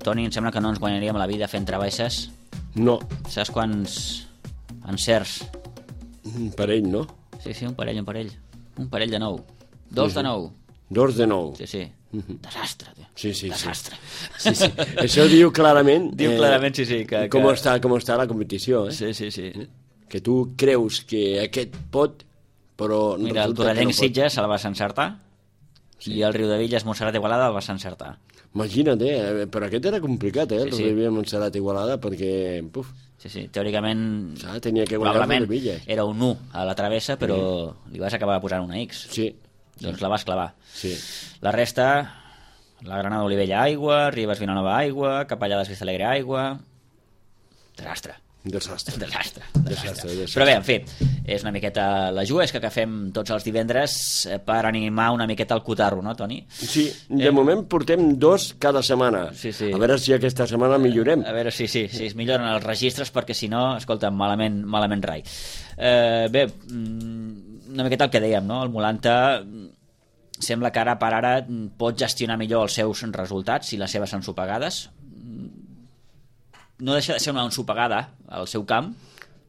Toni, em sembla que no ens guanyaríem la vida fent travesses. No. Saps quants encerts? Un parell, no? Sí, un parell. Un parell de 9. 2 de 9. 2 de 9. Sí. Desastre, tio. Sí. Desastre. Sí. Això diu clarament... Diu clarament, sí. Com està la competició, eh? Sí. Que tu creus que aquest pot, però... Mira, el Torellenc Sitges se la vas encertar, i el Riudebitlles Montserrat Igualada el vas encertar. Imagina't, però aquest era complicat, el Riudebitlles Montserrat Igualada, perquè... Sí, teòricament... Tenia que guanyar el Riudebitlles. Era un 1 a la travessa, però li vas acabar posant una X. Sí. Doncs la vas clavar. Sí. La resta, la Granada Olivella aigua, Ribes Vilanova aigua, Capellades Vistalegre aigua... Desastre. Però bé, en fi, és una miqueta la juesca que fem tots els divendres per animar una miqueta el cotarro, no, Toni? Sí, de moment portem 2 cada setmana. Sí. A veure si aquesta setmana millorem. A veure si es milloren els registres, perquè si no, escolta, malament rai. Bé, una miqueta el que dèiem, no? El Molanta sembla que ara per ara pot gestionar millor els seus resultats i les seves ensopegades. No deixa de ser una ensopegada al seu camp,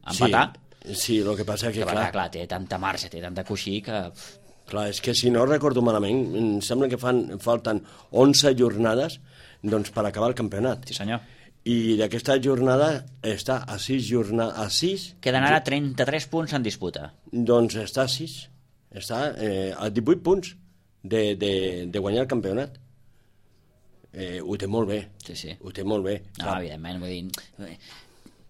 empatar. Sí, el que passa que clar, té tanta marge, té tanta coixí que... Clar, és que si no recordo malament, em sembla que falten 11 jornades doncs, per acabar el campionat. Sí, senyor. I d'aquesta jornada està a 6... Queden ara 33 punts en disputa. Doncs està a 6. Està a 18 punts de guanyar el campionat. Ho té molt bé. Sí. Ho té molt bé. No, evidentment, vull dir...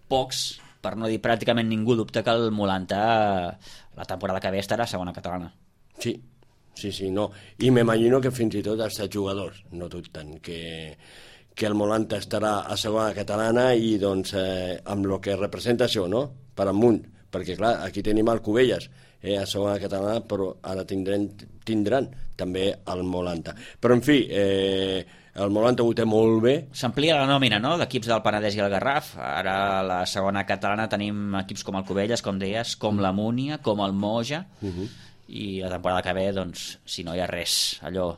Pocs, per no dir pràcticament ningú, dubta que el Molanta la temporada que ve estarà a segona catalana. Sí, no. I m'imagino que fins i tot els jugadors no dubten que el Molanta estarà a segona catalana i doncs amb el que representa això, no? Per amunt, perquè clar, aquí tenim el Cubelles a segona catalana, però ara tindran també el Molanta. Però en fi, el Molanta ho té molt bé. S'amplia la nòmina, no?, d'equips del Penedès i el Garraf. Ara a la segona catalana tenim equips com el Cubelles, com deies, com la Múnia, com el Moja, i la temporada que ve, doncs, si no hi ha res allò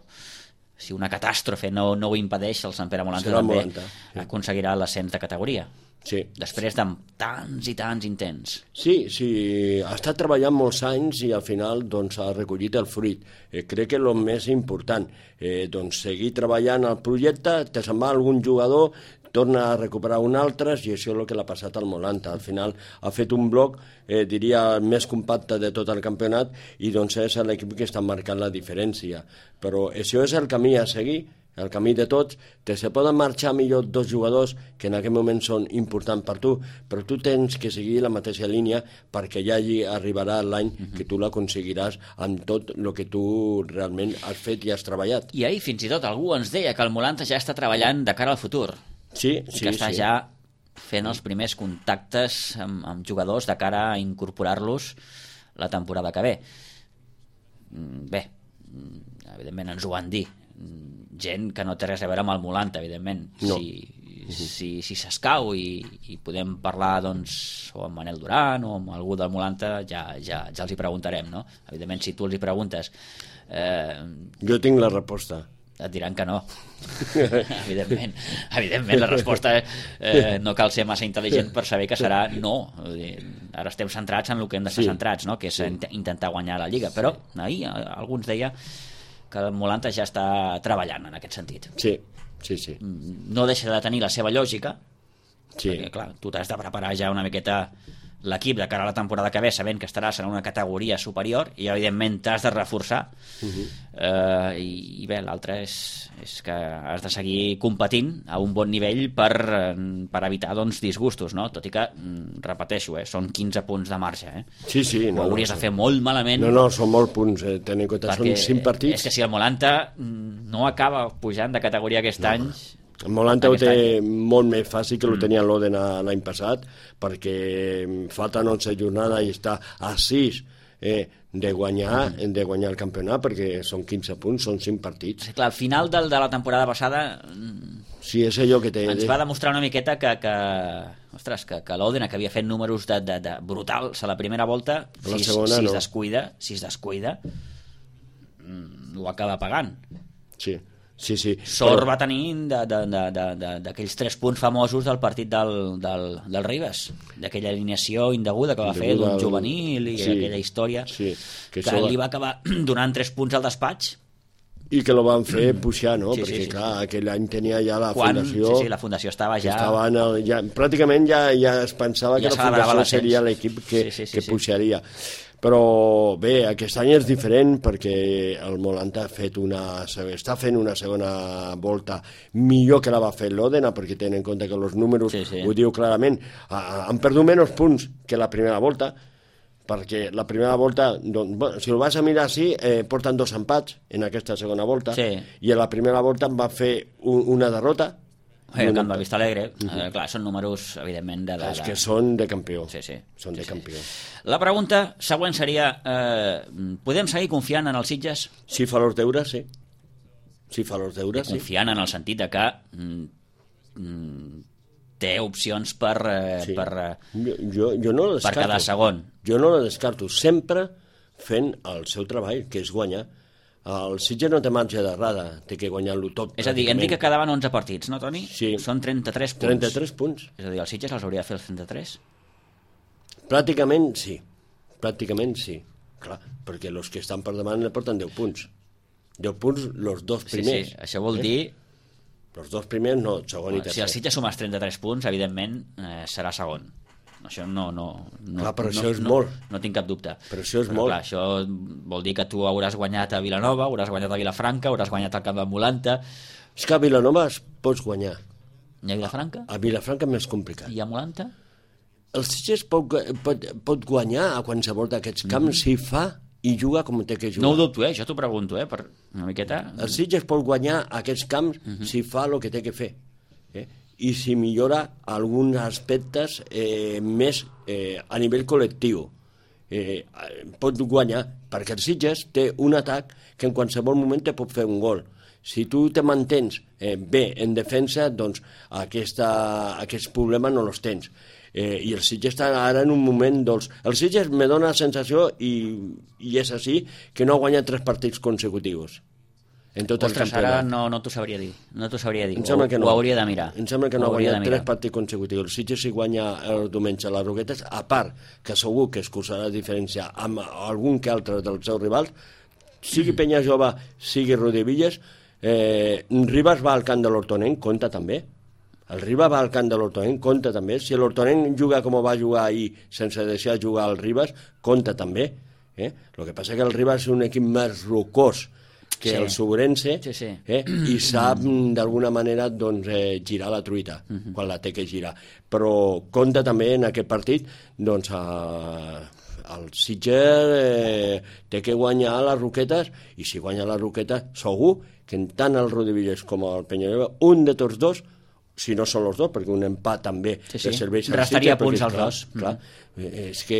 si una catàstrofe no ho impedeix, el Sant Pere Molanta Serà també Molanta, sí. aconseguirà l'ascens de categoria. Sí. Després de tants i tants intents. Sí, ha estat treballant molts anys i al final doncs, ha recollit el fruit. Crec que el més important, doncs, seguir treballant al projecte, te se'n va algun jugador, torna a recuperar un altre, i això és el que l'ha passat al Molanta. Al final ha fet un bloc, diria, més compacte de tot el campionat, i doncs és l'equip que està marcant la diferència. Però això és el camí a seguir, el camí de tots. Se poden marxar millor 2 jugadors que en aquest moment són importants per tu, però tu tens que seguir la mateixa línia perquè ja allí arribarà l'any que tu l'aconseguiràs amb tot el que tu realment has fet i has treballat. I ahir fins i tot algú ens deia que el Molanta ja està treballant de cara al futur. Sí. Que està ja fent els primers contactes amb jugadors de cara a incorporar-los la temporada que ve. Bé, evidentment ens ho van dir. Gent que no té res a veure amb el Molanta, evidentment. No. Si s'escau i podem parlar doncs, o amb Manel Duran o amb algú del Molanta, ja els hi preguntarem, no? Evidentment, si tu els hi preguntes... Jo tinc la resposta. Et diran que no. Evidentment, la resposta no cal ser massa intel·ligent per saber que serà no. Ara estem centrats en el que hem d'estar centrats, no? Que és intentar guanyar la Lliga, però ahir algú ens deia que el Molanta ja està treballant en aquest sentit. Sí. No deixa de tenir la seva lògica, perquè clar, tu t'has de preparar ja una miqueta l'equip de cara a la temporada que ve, sabent que estaràs en una categoria superior, i evidentment t'has de reforçar. I bé, l'altre és que has de seguir competint a un bon nivell per evitar doncs, disgustos, no? Tot i que, repeteixo, són 15 punts de marge. Sí. Ho hauries de fer molt malament. No, són molts punts, tenint en compte, són 5 partits. És que si el Molanta no acaba pujant de categoria aquest any... El Molanta ho té molt més fàcil que ho tenia l'Òdena l'any passat, perquè falten 11 jornades i està a 6 de guanyar el campionat, perquè són 15 punts, són 5 partits. Clar, al final de la temporada passada sí, és allò que ens va demostrar una miqueta que l'Òdena, que havia fet números de brutals a la primera volta, si es descuida ho acaba pagant. Sí. Sort va tenir d'aquells 3 punts famosos del partit del Ribes, d'aquella alineació indeguda que va fer d'un juvenil i aquella història que li va acabar donant 3 punts al despatx i que lo van fer pujar, no? Perquè clar, aquell any tenia ja la fundació... Sí, la fundació estava ja... Pràcticament ja es pensava que la fundació seria l'equip que pujaria. Però bé, aquest any és diferent perquè el Molanta està fent una segona volta millor que la va fer l'Òdena, perquè tenen en compte que els números ho diu clarament, han perdut menys punts que la primera volta, perquè la primera volta, si ho vas a mirar així, porten 2 empats en aquesta segona volta, i a la primera volta va fer una derrota. El Camp de Vista Alegre, clar, són números, evidentment, és que són de campió. Són de campió. La pregunta següent seria, podem seguir confiant en els Sitges? Si fa els deures, sí. Si fa els deures, sí. Confiant en el sentit de que té opcions per quedar segon. Jo no la descarto, sempre fent el seu treball, que és guanyar. El Sitges no té marge d'errada, té que guanyar-lo tot. És a dir, hem dit que quedaven 11 partits, no, Toni? Sí. Són 33 punts. 33 punts. És a dir, el Sitges els hauria de fer els 33? Pràcticament sí. Clar, perquè els que estan per davant ne porten 10 punts. 10 punts els 2 primers. Sí, això vol dir... Els 2 primers no, segon i tercer. Si el Sitges sumes 33 punts, evidentment serà segon. Això clar, però això és molt. No tinc cap dubte. Però això és molt. Clar, això vol dir que tu hauràs guanyat a Vilanova, hauràs guanyat a Vilafranca, hauràs guanyat al Camp del Molanta... És que a Vilanova es pots guanyar. I a Vilafranca? A Vilafranca és més complicat. I a Molanta? El Sitges pot guanyar a qualsevol d'aquests camps si fa i juga com té que jugar. No ho dubto, jo t'ho pregunto, per una miqueta... El Sitges pot guanyar aquests camps si fa el que té que fer. I si millora alguns aspectes més a nivell col·lectiu. Pot guanyar, perquè el Sitges té un atac que en qualsevol moment te pot fer un gol. Si tu te mantens bé en defensa, doncs aquests problemes no els tens. I el Sitges està ara en un moment dolç. El Sitges me dona la sensació, i és així, que no ha guanyat 3 partits consecutius. en tot el Ostres, campionat. ara no t'ho sabria dir. No t'ho sabria dir. Em sembla que no. Ho hauria de mirar. Em sembla que no ha Ho hauria guanyat de mirar. 3 partits consecutius. El Sitges si guanya el diumenge a les Roquetes, a part que segur que es causarà diferència amb algun que altre dels seus rivals, sigui Penya Jove, sigui Rodevilles, Ribas va al camp de l'Hortonenc, compta també. El Ribas va al camp de l'Hortonenc, compta també. Si l'Hortonenc juga com va jugar ahir, sense deixar jugar el Ribas, compta també. El que passa que el Ribas és un equip més rocós que el Sobrense, i sap d'alguna manera doncs, girar la truita quan la té que girar. Però compta també en aquest partit doncs, el Sitges té que guanyar les Roquetes, i si guanya les Roquetes segur que tant el Rodevilles com el Penyalloba, un de tots dos, si no són els dos, perquè un empat també Sí. serveix al Restaria Sitges, punts perquè, als dos. Clar, és que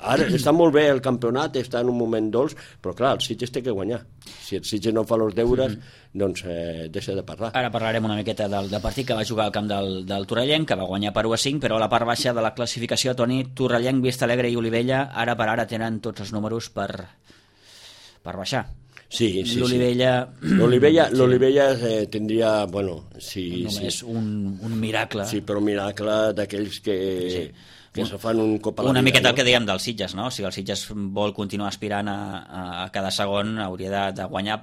ara està molt bé el campionat, està en un moment dolç, però clar, el Sitges té que guanyar. Si el Sitges no fa els deures, doncs deixa de parlar. Ara parlarem una miqueta del partit que va jugar al camp del Torrellenc, que va guanyar per 1-5, però a la part baixa de la classificació, Toni, Torrellenc, Vistalegre i Olivella, ara per ara tenen tots els números per baixar. Sí. L'Olivella tindria, bueno, només un miracle. Sí, però un miracle d'aquells que se fan un cop a la vida. Una miqueta el que dèiem del Sitges, no? Si el Sitges vol continuar aspirant a cada segon, hauria de guanyar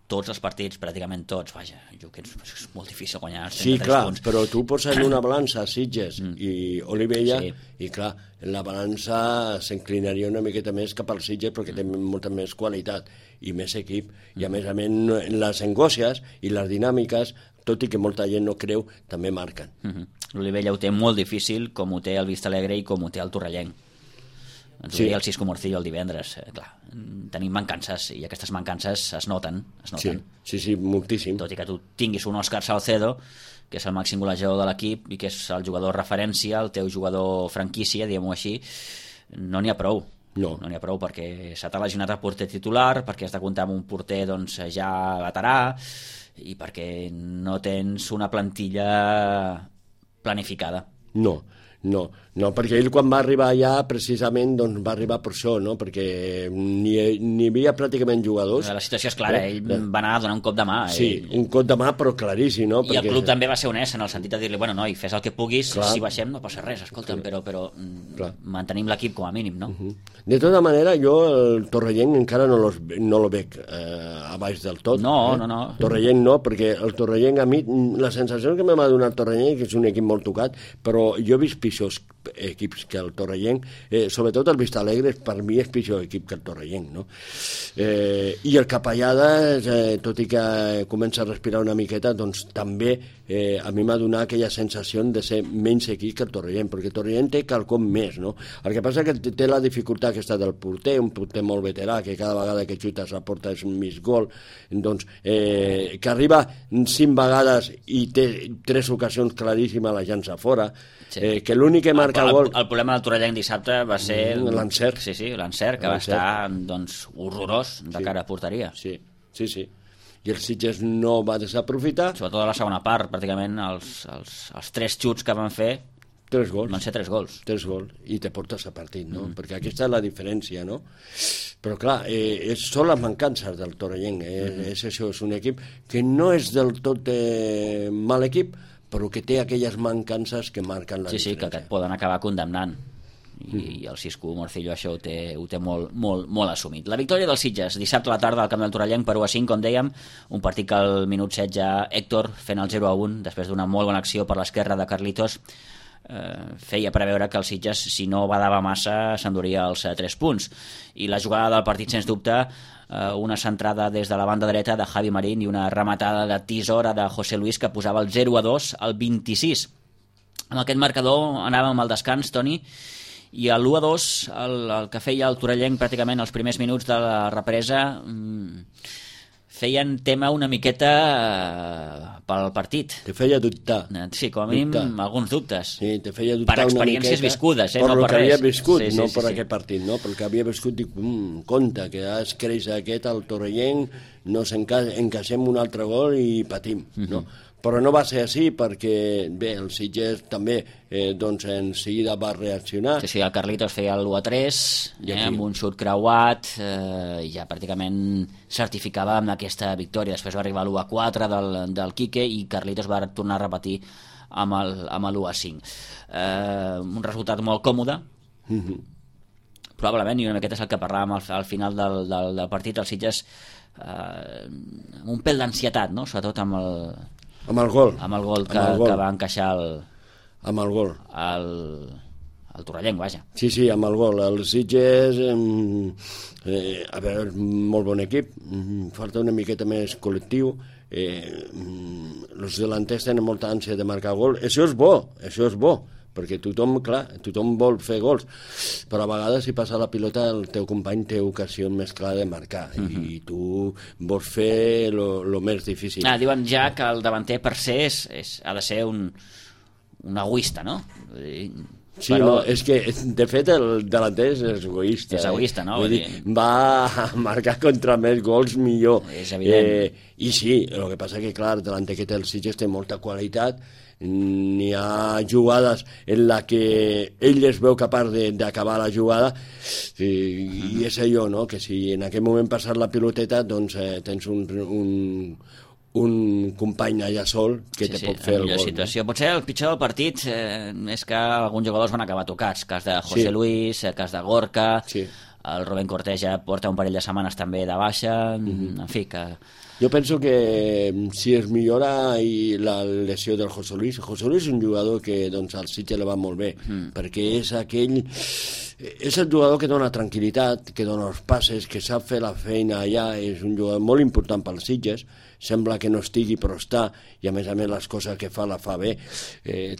tots els partits, pràcticament tots. Vaja, jo que és molt difícil guanyar els 33 sí, clar, punts. però tu poses en una balança Sitges i Olivella, i clar, la balança s'inclinaria una miqueta més cap al Sitges perquè té molta més qualitat i més equip, i a més les angòcies i les dinàmiques, tot i que molta gent no creu, també marquen. L'Olivella ho té molt difícil, com ho té el Vistalegre i com ho té el Torrellenc. Ens ho deia el Cisco Morcillo el divendres. Clar, tenim mancances, i aquestes mancances es noten. Sí, moltíssim. Tot i que tu tinguis un Òscar Salcedo, que és el màxim golejador de l'equip i que és el jugador referència, el teu jugador franquícia, diguem-ho així, no n'hi ha prou. No n'hi ha prou, perquè s'ha lesionat el porter titular, perquè has de comptar amb un porter doncs, ja veterà, i perquè no tens una plantilla planificada. No, perquè ell quan va arribar allà precisament doncs va arribar per això, no? Perquè ni hi havia pràcticament jugadors. La situació és clara, ell va anar a donar un cop de mà. Sí, un cop de mà però claríssim, no? I el club també va ser honest en el sentit de dir-li, bueno, noi, fes el que puguis, si baixem no passa res, escolta'm, però mantenim l'equip com a mínim, no? De tota manera, jo el Torrellenc encara no lo veig a baix del tot. No. Torrellenc no, perquè el Torrellenc a mi, la sensació que m'ha donat el Torrellenc és un equip molt tocat, però jo he vist pitjors equips que el Torrellenc, sobretot el Vistalegre per mi és pitjor equip que el Torrellenc, no? I el Capellada, tot i que comença a respirar una miqueta, doncs també a mi m'ha donat aquella sensació de ser menys equip que el Torrellenc, perquè el Torrellenc té quelcom més, no? El que passa que té la dificultat aquesta del porter, un porter molt veterà, que cada vegada que xuta a la porta és un mig gol, doncs que arriba 5 vegades i té 3 ocasions claríssimes la llança fora, que l'únic que marca gol... El problema del Torrellenc dissabte va ser... l'encert. Sí, l'encert, que va estar doncs, horrorós de cara a porteria. Sí. I el Sitges no va desaprofitar. Sobretot a la segona part, pràcticament els 3 xuts que van fer 3 gols. Van ser 3 gols. 3 gols, i te portes a partit, no? Perquè aquesta és la diferència, no? Però clar, són les mancances del Torrellenc, és això, és un equip que no és del tot mal equip, però que té aquelles mancances que marquen la diferència. Sí, que et poden acabar condemnant. I el Cisco Morcillo això ho té molt assumit. La victòria dels Sitges, dissabte a la tarda al camp del Torrellenc per 1-5, com dèiem, un partit que al minut 16 Héctor, fent el 0-1, després d'una molt bona acció per l'esquerra de Carlitos, feia preveure que el Sitges, si no badava massa, s'enduria els 3 punts. I la jugada del partit, sens dubte, una centrada des de la banda dreta de Javi Marín i una rematada de tisora de José Luis que posava el 0-2 al 26. Amb aquest marcador anàvem al descans, Toni, i a l'1-2 el que feia el Torrellenc pràcticament els primers minuts de la represa feien tema una miqueta pel partit. Te feia dubtar. Sí, com a mínim alguns dubtes. Sí, te feia dubtar per experiències viscudes, per no el per que res. havia viscut, no per aquest partit, no? Pel que havia viscut, dic, compte, que es creix aquest al Torrellenc, no encaixem un altre gol i patim, no? però no va ser així perquè, bé, el Sitges també doncs en seguida va reaccionar. Sí, el Carlitos feia l'1-3 amb un xut creuat i ja pràcticament certificava amb aquesta victòria. Després va arribar l'1-4 del Quique i Carlitos va tornar a repetir amb l'1-5. Un resultat molt còmode, probablement, i una miqueta és el que parlàvem al final del partit, el Sitges amb un pèl d'ansietat, no? Sobretot amb el gol que va encaixar amb el gol el torrellenc, vaja. Sí, amb el gol. El Sitges a veure, molt bon equip, falta una miqueta més col·lectiu, els delanters tenen molta ànsia de marcar gol. Això és bo, perquè tothom vol fer gols, però a vegades si passa la pilota el teu company té ocasió més clara de marcar i tu vols fer lo més difícil. Diuen ja que el davanter per ser ha de ser un egoista, no? Sí, però... no, és que de fet el delanter és egoista. És egoista, no? Vull dir, va a marcar contra més gols millor. És evident. I sí, el que passa que clar, el delanter que té el Sitges té molta qualitat, n'hi ha jugades en la que ell es veu capaç d'acabar la jugada i és allò, no? Que si en aquell moment passar la piloteta doncs tens un company allà sol que te pot fer el gol. Situació. Potser el pitjor del partit és que alguns jugadors van acabar tocats, cas de José Luis, cas de Gorka, el Rubén Cortés ja porta un parell de setmanes també de baixa, en fi, que... Jo penso que si es millora la lesió del José Luis és un jugador que doncs, al Sitges li va molt bé, perquè és el jugador que dona tranquil·litat, que dona els passes, que sap fer la feina allà, és un jugador molt important pel Sitges, sembla que no estigui però està, i a més les coses que fa la fa bé.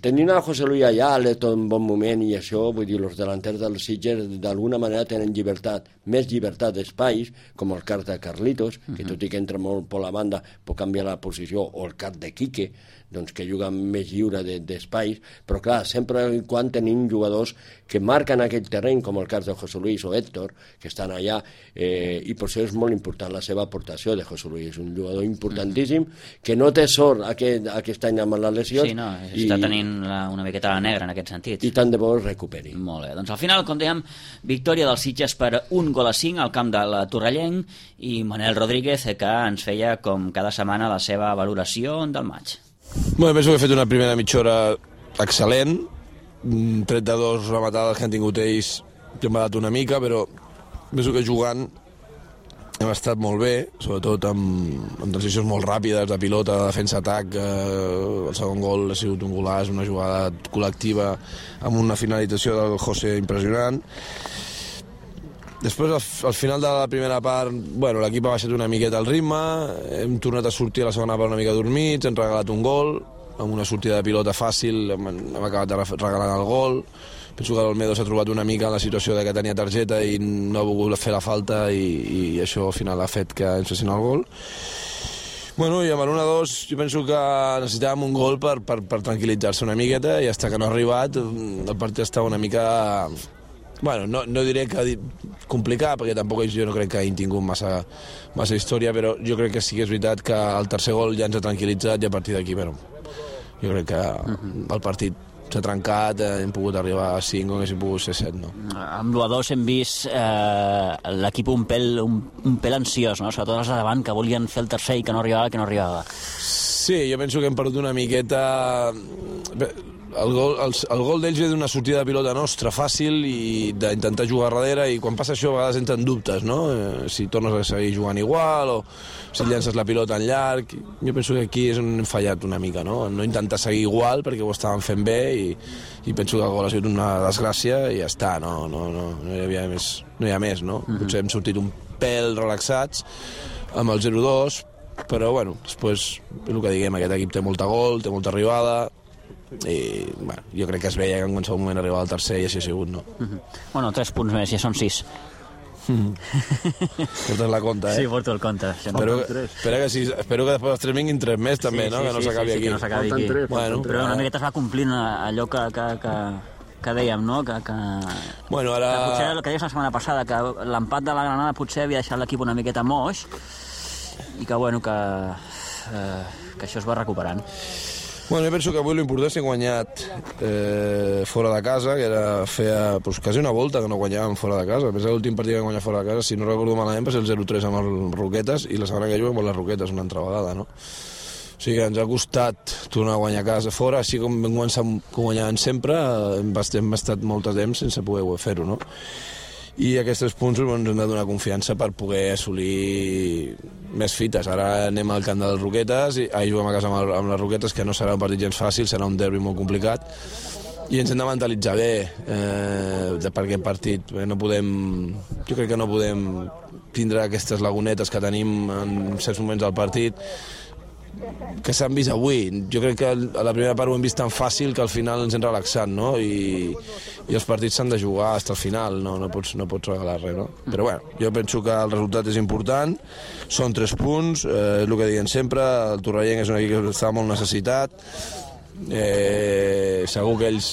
Tenint el José Luis allà l'he tot en bon moment i això, vull dir, els delanters del Sitges d'alguna manera tenen llibertat, més llibertat d'espais, com el cas de Carlitos, que tot i que entra molt per la banda pot canviar la posició, o el cas de Quique, doncs que juga més lliure d'espais, però clar, sempre quan tenim jugadors que marquen aquest terreny, com el cas de José Luis o Héctor, que estan allà, i per això és molt important la seva aportació de José Luis, és un jugador importantíssim, que no té sort aquest any amb les lesions. Sí, no, està tenint una miqueta la negra en aquest sentit. I tant de bo es recuperi. Molt bé, doncs al final, com dèiem, victòria dels Sitges per 1-5 al camp de la Torrellenc i Manel Rodríguez, que ens feia com cada setmana la seva valoració del maig. Bueno, penso que he fet una primera mitja hora excel·lent, tret de dos rematades que han tingut ells que m'ha dat una mica, però penso que jugant hem estat molt bé, sobretot amb transicions molt ràpides de pilota, de defensa-atac. El segon gol ha sigut un golaç, una jugada col·lectiva amb una finalització del José impressionant. Després, al final de la primera part, bueno, l'equip ha baixat una miqueta el ritme, hem tornat a sortir a la segona part una mica dormits, hem regalat un gol, amb una sortida de pilota fàcil, hem acabat regalant el gol. Penso que l'Olmedo s'ha trobat una mica en la situació de que tenia targeta i no ha volgut fer la falta i això al final ha fet que ens fessin el gol. Bueno, i amb l'1-2 jo penso que necessitàvem un gol per tranquil·litzar-se una miqueta i fins que no ha arribat el partit està una mica... Bueno, no diré que complicat, perquè tampoc jo no crec que hagin tingut massa història, però jo crec que sí que és veritat que el tercer gol ja ens ha tranquil·litzat i a partir d'aquí, bueno, jo crec que el partit s'ha trencat, hem pogut arribar a 5 o haguéssim pogut ser 7, no? Amb l'1-2 hem vist l'equip un pèl ansiós, no? Sobretot els de davant que volien fer el tercer i que no arribava. Sí, jo penso que hem perdut una miqueta... El gol d'ells ve d'una sortida de pilota nostra fàcil i d'intentar jugar darrere, i quan passa això a vegades entren dubtes, no? Si tornes a seguir jugant igual o si llences la pilota en llarg. Jo penso que aquí és on hem fallat una mica, no? No intentar seguir igual perquè ho estàvem fent bé i penso que el gol ha sigut una desgràcia i ja està, no hi ha més, no? Potser hem sortit un pèl relaxats amb el 0-2, però bueno, després el que diguem, aquest equip té molta gol, té molta arribada, i bueno, jo crec que es veia que en qualsevol moment arribava al tercer i així ha sigut, no? Bueno, 3 punts més, ja són 6. Portes la compte, Sí, porto el compte. Espero que després dels 3 vinguin 3 més també, no? Que no s'acabi aquí. Que no s'acabi aquí. Però una miqueta es va complint allò que dèiem, no? Bueno, ara... Que potser el que deies la setmana passada, que l'empat de la Granada potser havia deixat l'equip una miqueta moix i que, bueno, que que això es va recuperant. Bueno, jo penso que avui l'important és que hem guanyat fora de casa, que feia quasi una volta que no guanyàvem fora de casa. Pensa que l'últim partit que vam guanyar fora de casa, si no recordo malament, va ser el 0-3 amb els Roquetes, i la setmana que juguem amb les Roquetes una altra vegada, no? O sigui que ens ha costat tornar a guanyar a casa fora, així com vam començar guanyant sempre, hem estat molt de temps sense poder fer-ho, no? I aquests 3 punts ens han de donar confiança per poder assolir més fites. Ara anem al camp dels Roquetes, i juguem a casa amb les Roquetes, que no serà un partit gens fàcil, serà un derbi molt complicat, i ens hem de mentalitzar bé per aquest partit. Jo crec que no podem tindre aquestes lagunetes que tenim en certs moments del partit, que s'han vist avui. Jo crec que a la primera part ho hem vist tan fàcil que al final ens hem relaxat, no? I els partits s'han de jugar fins al final, no pots regalar res, no? Però bueno, jo penso que el resultat és important, són 3 punts, és el que diuen sempre, el Torrelleng és un equip que està molt necessitat, segur que ells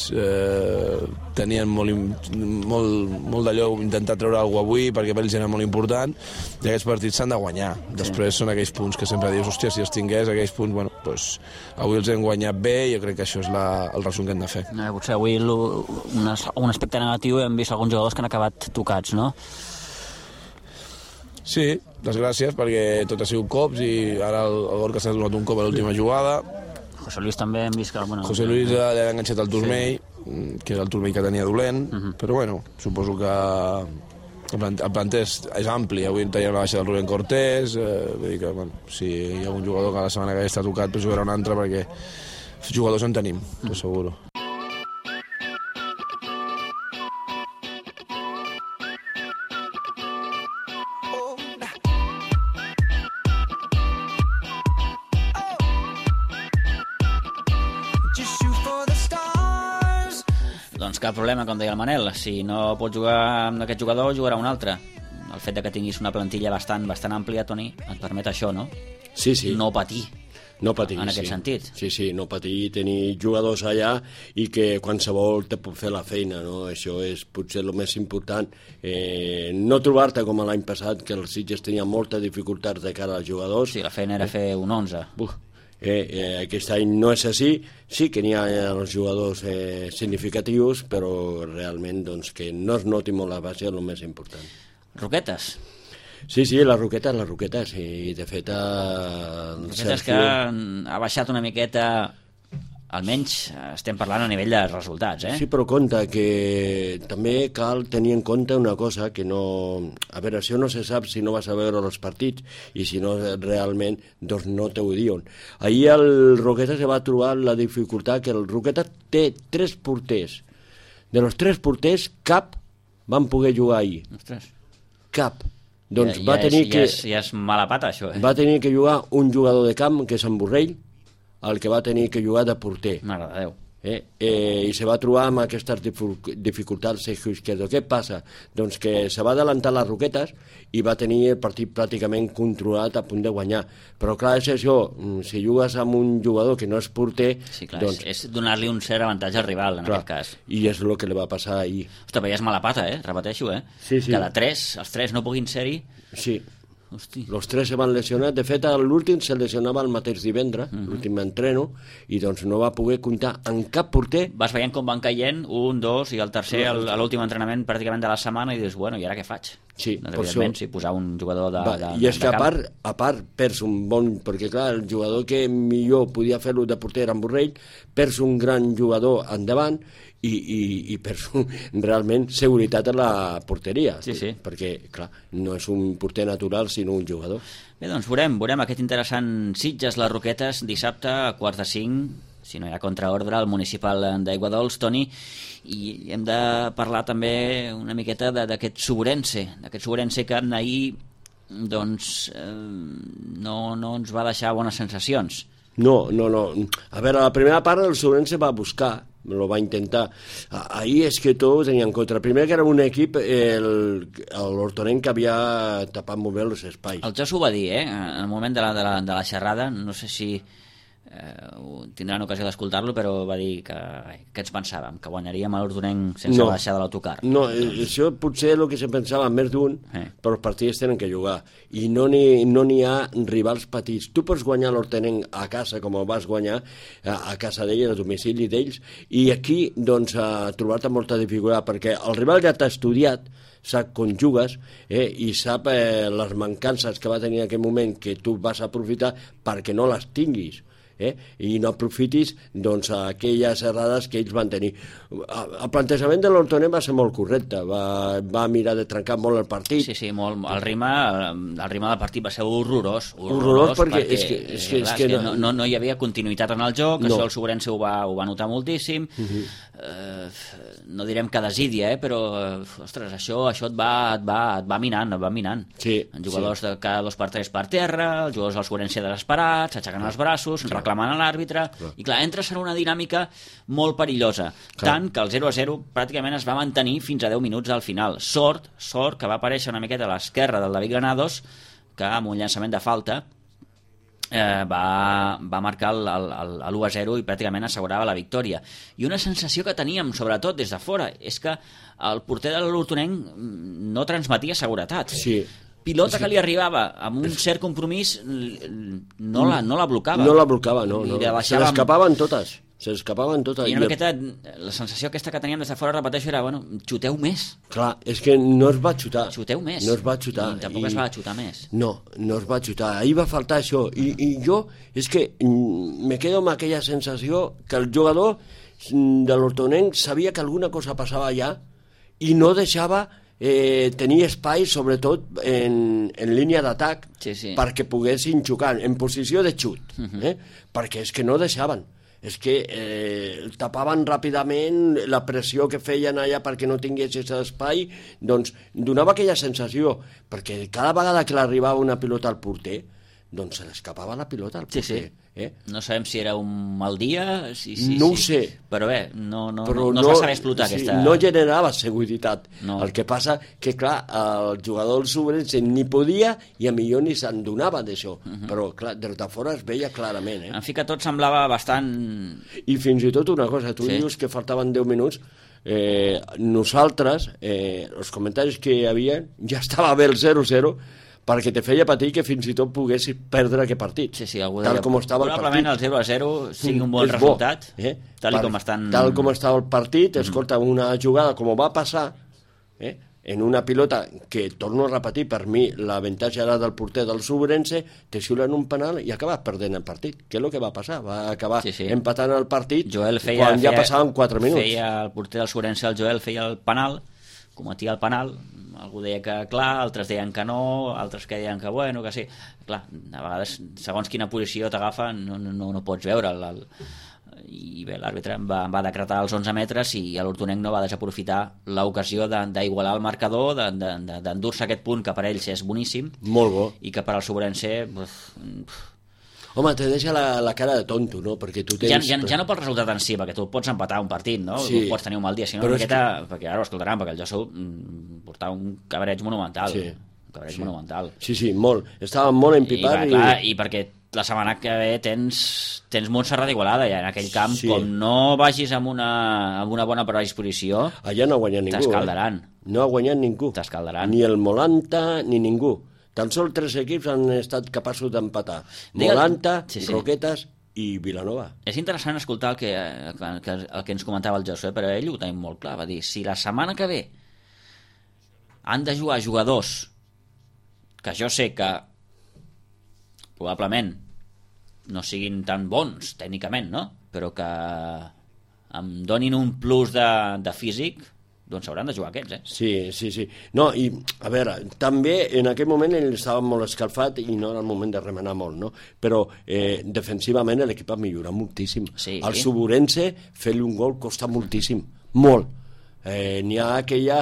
tenien molt d'allò intentar treure alguna cosa avui, perquè per ells era molt important, i aquests partits s'han de guanyar. Després són aquells punts que sempre dius, hòstia, si els tingués aquells punts, bueno, doncs avui els hem guanyat bé, i jo crec que això és el resum que hem de fer. Potser avui un aspecte negatiu, hem vist alguns jugadors que han acabat tocats, no? Sí, desgràcies, perquè tot ha sigut cops, i ara el Gorka s'ha donat un cop a l'última jugada. José Luis també hem vist que... José Luis li ha enganxat el turmell, que era el turmell que tenia dolent, però bueno, suposo que el planter és ampli. Avui teníem la baixa del Rubén Cortés, vull dir que, bueno, si hi ha un jugador que la setmana que està tocat, pues jugarà un altre, perquè jugadors en tenim, t'ho asseguro. Doncs cap problema, com deia el Manel. Si no pots jugar amb aquest jugador, jugarà un altre. El fet que tinguis una plantilla bastant àmplia, Toni, et permet això, no? Sí, sí. No patir. No patir, en aquest sentit. Sí, no patir, tenir jugadors allà i que qualsevol te pot fer la feina, no? Això és potser el més important. No trobar-te com l'any passat, que els Sitges tenien moltes dificultats de cara als jugadors. Sí, la feina era fer un 11. Aquest any no és així, sí que n'hi ha els jugadors significatius, però realment doncs, que no es noti molt la base és el més important. Roquetes? Sí, les Roquetes, i de fet Roquetes que ha baixat una miqueta, almenys estem parlant a nivell de resultats, Sí, però compte que també cal tenir en compte una cosa, que no... A veure, això no se sap si no vas a veure els partits, i si no realment, doncs no t'ho diuen. Ahir el Roquetes se va trobar la dificultat que el Roquetes té 3 porters. De los 3 porters, cap van poder jugar ahir. Ostres. Cap. Doncs va tenir que... Ja és mala pata, això, Va tenir que jugar un jugador de camp, que és en Borrell, el que va tenir que jugar de porter. Mare de Déu. I se va trobar amb aquestes dificultats Sergio Izquierdo. Què passa? Doncs que se va adelantar les Roquetes i va tenir el partit pràcticament controlat, a punt de guanyar. Però clar, és això, si jugues amb un jugador que no és porter... Sí, clar, doncs, és donar-li un cert avantatge al rival, en aquest cas. I és el que li va passar ahir. Ostres, ja és mala pata, repeteixo, Sí. Que els 3 no puguin ser-hi... Sí. Hosti. Los 3 se van lesionar. De fet, l'últim se lesionava el mateix divendres, l'últim entreno, i doncs no va poder comptar en cap porter. Vas veient com van caient, 1, 2, i el tercer a l'últim entrenament pràcticament de la setmana, i dius, bueno, i ara què faig? Sí, doncs, evidentment, sí, posar un jugador de I és que a part perds un bon... Perquè clar, el jugador que millor podia fer-lo de porter en Borrell, perds un gran jugador endavant, i perds realment seguretat a la porteria. Sí. Perquè, clar, no és un porter natural, sinó un jugador. Bé, doncs veurem aquest interessant Sitges-Les Roquetes dissabte a 4:45, si no hi ha contraordre, al municipal d'Aiguadols, Toni, i hem de parlar també una miqueta d'aquest Sobrense que ahir doncs no ens va deixar bones sensacions. No. A veure, la primera part el Sobrense va buscar, lo va intentar. Ahir és que tot tenia en contra. Primer que era un equip, l'Hortonenc, que havia tapat molt bé els espais. El Jos ho va dir, en el moment de la xerrada, no sé si tindran ocasió d'escoltar-lo, però va dir que ens pensàvem, que guanyaríem a l'Hortonenc sense baixar de l'autocar. No, això potser el que se pensava més d'un, però els partits tenen que jugar, i no n'hi ha rivals petits. Tu pots guanyar l'Hortonenc a casa, com ho vas guanyar a casa d'ells, a domicili d'ells, i aquí, doncs, trobar-te molta dificultat, perquè el rival ja t'ha estudiat, sap com jugues, i sap les mancances que va tenir en aquell moment que tu vas aprofitar perquè no les tinguis. I no aprofitis doncs, aquelles errades que ells van tenir. El plantejament de l'Hortonenc va ser molt correcte, va mirar de trencar molt el partit. Sí, molt. El ritme del partit va ser horrorós perquè és que no hi havia continuïtat en el joc, això el Sobrense ho va notar moltíssim. No direm que desídia, però ostres, això et va minant. Els jugadors de cada 2 per 3 per terra, els jugadors del Sobrense desesperats, s'aixequen els braços, reclamant a l'àrbitre, i clar, entres en una dinàmica molt perillosa, tant que el 0-0 pràcticament es va mantenir fins a 10 minuts al final. Sort que va aparèixer una miqueta a l'esquerra del David Granados, que amb un llançament de falta va marcar l'1-0 i pràcticament assegurava la victòria. I una sensació que teníem, sobretot des de fora, és que el porter de l'Hortonenc no transmetia seguretat. Pilota que li arribava amb un cert compromís no la blocava. No la blocava, no. Se l'escapaven totes. I una miqueta, la sensació aquesta que teníem des de fora, repeteixo, era, xuteu més. Clar, és que no es va xutar. Xuteu més. No es va xutar. I tampoc es va xutar més. No es va xutar. Ahir va faltar això. I jo, és que me quedo amb aquella sensació que el jugador de l'Hortonenc sabia que alguna cosa passava allà i no deixava tenir espai, sobretot en línia d'atac, perquè poguessin xucar en posició de xut, perquè és que no deixaven. És que tapaven ràpidament la pressió que feien allà perquè no tingués aquest espai, doncs donava aquella sensació, perquè cada vegada que l'arribava una pilota al porter, doncs se l'escapava la pilota al porter. No sabem si era un mal dia, no ho sé, però bé, no es va saber explotar aquesta... No generava seguretat. El que passa que, clar, el jugador del Sobrense ni podia i a millor ni se'n donava d'això, però clar, des de fora es veia clarament. En fi, que tot semblava bastant... I fins i tot una cosa, tu dius que faltaven 10 minuts, nosaltres, els comentaris que hi havia, ja estava bé el 0-0, perquè te feia patir que fins i tot poguessis perdre aquest partit. Tal com estava el partit. Probablement el 0-0 sigui un bon resultat, tal com estan... Tal com estava el partit, escolta, una jugada com va passar, en una pilota que, torno a repetir, per mi l'avantatge era del porter del Sobrense, te xiulen un penal i acabes perdent el partit. Què és el que va passar? Va acabar empatant el partit quan ja passaven 4 minuts. El porter del Sobrense, el Joel, feia el penal, cometia el penal, algú deia que clar, altres deien que no, altres que deien que bueno, que sí. Clar, a vegades, segons quina posició t'agafa, no pots veure. I bé, l'àrbitre va decretar els 11 metres i l'Hortonenc no va desaprofitar l'ocasió d'igualar el marcador, d'endur-se aquest punt que per ells és boníssim. Molt bo. I que per al Sobrense... Home, te deixa la cara de tonto, no? Perquè tu tens... Ja no pel resultat en si, perquè tu pots empatar un partit, no? Tu pots tenir un mal dia, sinó una miqueta... Perquè ara ho escoltaran, perquè el Josu portava un cabreig monumental. Monumental. Sí, molt. Estava molt empipat. I perquè la setmana que ve tens Montserrat d'Igualada, i en aquell camp, com no vagis amb una bona predisposició, allà no ha guanyat ningú. T'escaldaran. No ha guanyat ningú. T'escaldaran. Ni el Molanta, ni ningú. Tan sols 3 equips han estat capaços d'empatar. Molanta, Roquetes i Vilanova. És interessant escoltar el que ens comentava el Josu, però ell ho tenim molt clar. Va dir, si la setmana que ve han de jugar jugadors que jo sé que probablement no siguin tan bons tècnicament, no? Però que em donin un plus de físic, doncs s'hauran de jugar aquests, Sí. No, i, a veure, també en aquell moment ell estava molt escalfat i no era el moment de remenar molt, no? Però defensivament l'equip ha millorat moltíssim. Al Sobrense fer-li un gol costa moltíssim, molt. N'hi ha aquella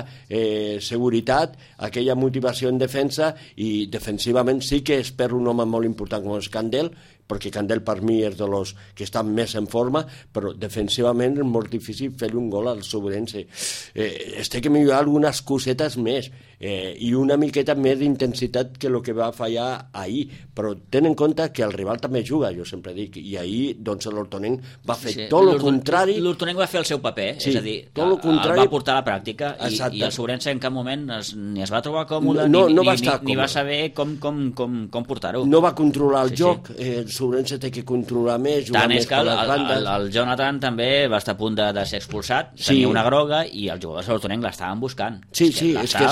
seguretat, aquella motivació en defensa, i defensivament sí que es perd un home molt important com és Candel, perquè Candel per mi és dels que estan més en forma, però defensivament és molt difícil fer un gol al Sobrense. Es té que millorar algunes cosetes més i una miqueta més d'intensitat que el que va fallar ahir, però ten en compte que el rival també juga, jo sempre dic, i ahir doncs l'Hortonenc va fer tot el contrari. L'Hortonenc va fer el seu paper, és a dir, el va portar a la pràctica i el Sobrense en cap moment ni es va trobar còmode ni va saber com portar-ho. No va controlar el joc, el Sobrense té que controlar més, jugar més per les bandes. El Jonathan també va estar a punt de ser expulsat, tenia una groga i els jugadors de l'Hortonenc l'estaven buscant. Sí, és que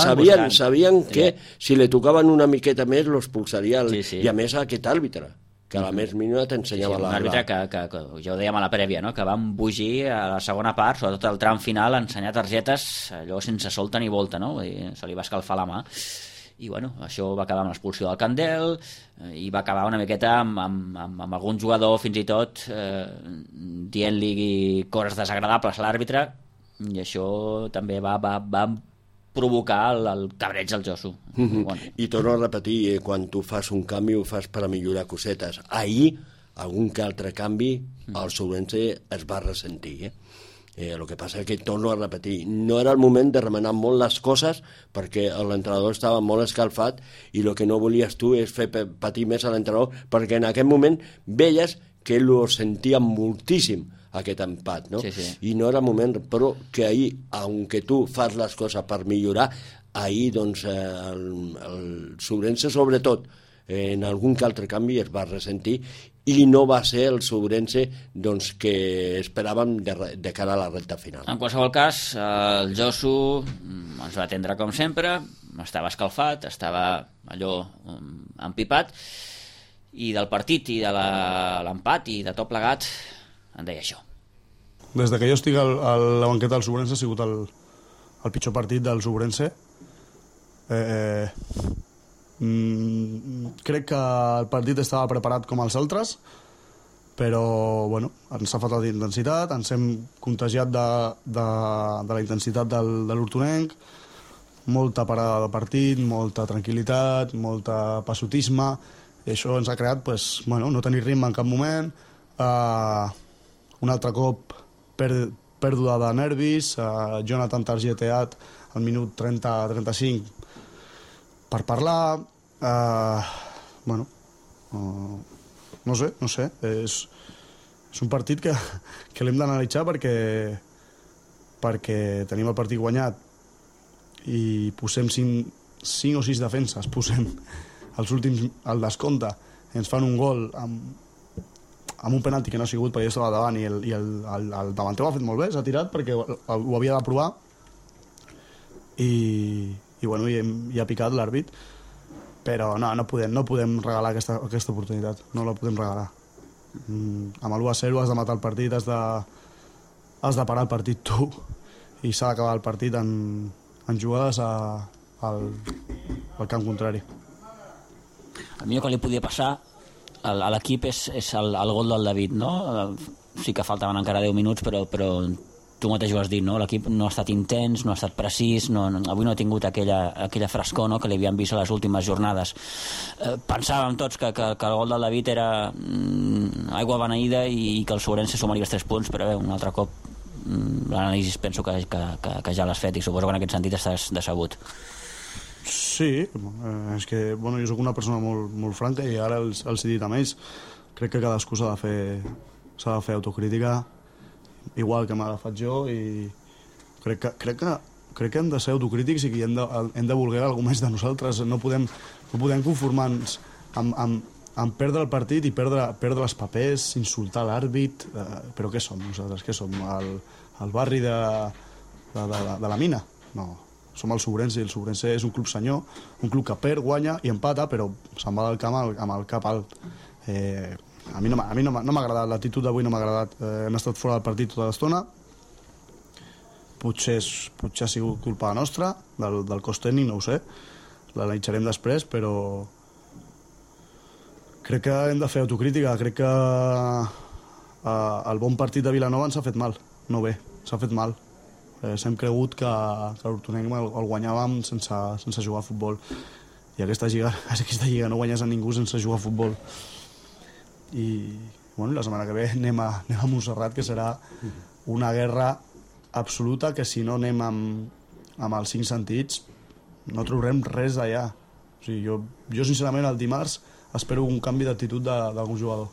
sabien que si li tocaven una miqueta més l'expulsaria, i a més aquest àrbitre, que a la més mínima t'ensenyava un àrbitre que ja ho dèiem a la prèvia, que va embogir a la segona part, sobretot al tram final, a ensenyar targetes allò sense solta ni volta, no? Se li va escalfar la mà. I bueno, això va acabar amb l'expulsió del Candel i va acabar una miqueta amb algun jugador fins i tot dient-li coses desagradables a l'àrbitre, i això també va provocar el cabreig del Josu. I torno a repetir, quan tu fas un canvi ho fas per a millorar cosetes. Ahir, algun que altre canvi, el Sobrense es va ressentir. El que passa és que, torno a repetir, no era el moment de remenar molt les coses perquè l'entrenador estava molt escalfat i el que no volies tu és fer patir més a l'entrenador, perquè en aquest moment veies que ell ho sentia moltíssim, aquest empat, no? I no era moment, però que ahir, aunque tu fas les coses per millorar, ahir doncs el Sobrense sobretot en algun que altre canvi es va ressentir i no va ser el Sobrense doncs, que esperàvem de cara a la recta final. En qualsevol cas, el Josu ens va atendre com sempre, estava escalfat, estava allò empipat, i del partit i de l'empat i de tot plegat en deia això. Des que jo estic a la banqueta del Sobrense ha sigut el pitjor partit del Sobrense. Crec que el partit estava preparat com els altres, però bueno, ens ha faltat intensitat, ens hem contagiat de la intensitat de l'Hortonenc, molta parada de partit, molta tranquil·litat, molta passotisme, i això ens ha creat no tenir ritme en cap moment, un altre cop pèrdua de nervis, Jonathan targeteat al minut 30-35 per parlar, no sé, és un partit que l'hem d'analitzar perquè tenim el partit guanyat i posem 5 o 6 defenses, posem els últims al descompte, ens fan un gol amb un penalti que no ha sigut perquè jo estava davant i el davanter ho ha fet molt bé, s'ha tirat perquè ho havia de provar i ha picat l'àrbit, però no podem regalar aquesta oportunitat, no la podem regalar. Amb l'1-0 has de matar el partit, has de parar el partit tu i s'ha d'acabar el partit en jugades al camp contrari. El millor que li podia passar a l'equip és el gol del David, no? Sí que faltaven encara 10 minuts, però tu mateix ho has dit, no? L'equip no ha estat intens, no ha estat precís, avui no ha tingut aquella frescor, no?, que li havíem vist a les últimes jornades. Pensàvem tots que el gol del David era aigua beneïda i que el Sobrense sumaria els 3 punts, però un altre cop l'anàlisi penso que ja l'has fet i suposo que en aquest sentit estàs decebut. Sí, és que jo soc una persona molt franca i ara els he dit a ells, crec que cadascú s'ha de fer autocrítica igual que m'ha agafat jo i crec que hem de ser autocrítics i que hem de voler alguna més de nosaltres, no podem conformar-nos amb perdre el partit i perdre els papers, insultar l'àrbit, però què som nosaltres? Què som? El barri de la mina? No, som el Sobrense i el Sobrense és un club senyor, un club que perd, guanya i empata, però se'n va del camp amb el cap alt. A mi no m'ha agradat, l'actitud d'avui no m'ha agradat. Hem estat fora del partit tota l'estona, potser ha sigut culpa nostra, del cos tècnic, no ho sé, l'analitzarem després, però crec que hem de fer autocrítica, crec que el bon partit de Vilanova ens ha fet mal, no bé, s'ha fet mal. S'hem cregut que l'Hortonenc el guanyàvem sense jugar a futbol i aquesta lliga no guanyes a ningú sense jugar a futbol. i bueno, la setmana que ve anem a Montserrat, que serà una guerra absoluta, que si no anem amb els 5 sentits no trobarem res d'allà. O sigui, jo sincerament el dimarts espero un canvi d'actitud d'algun jugador.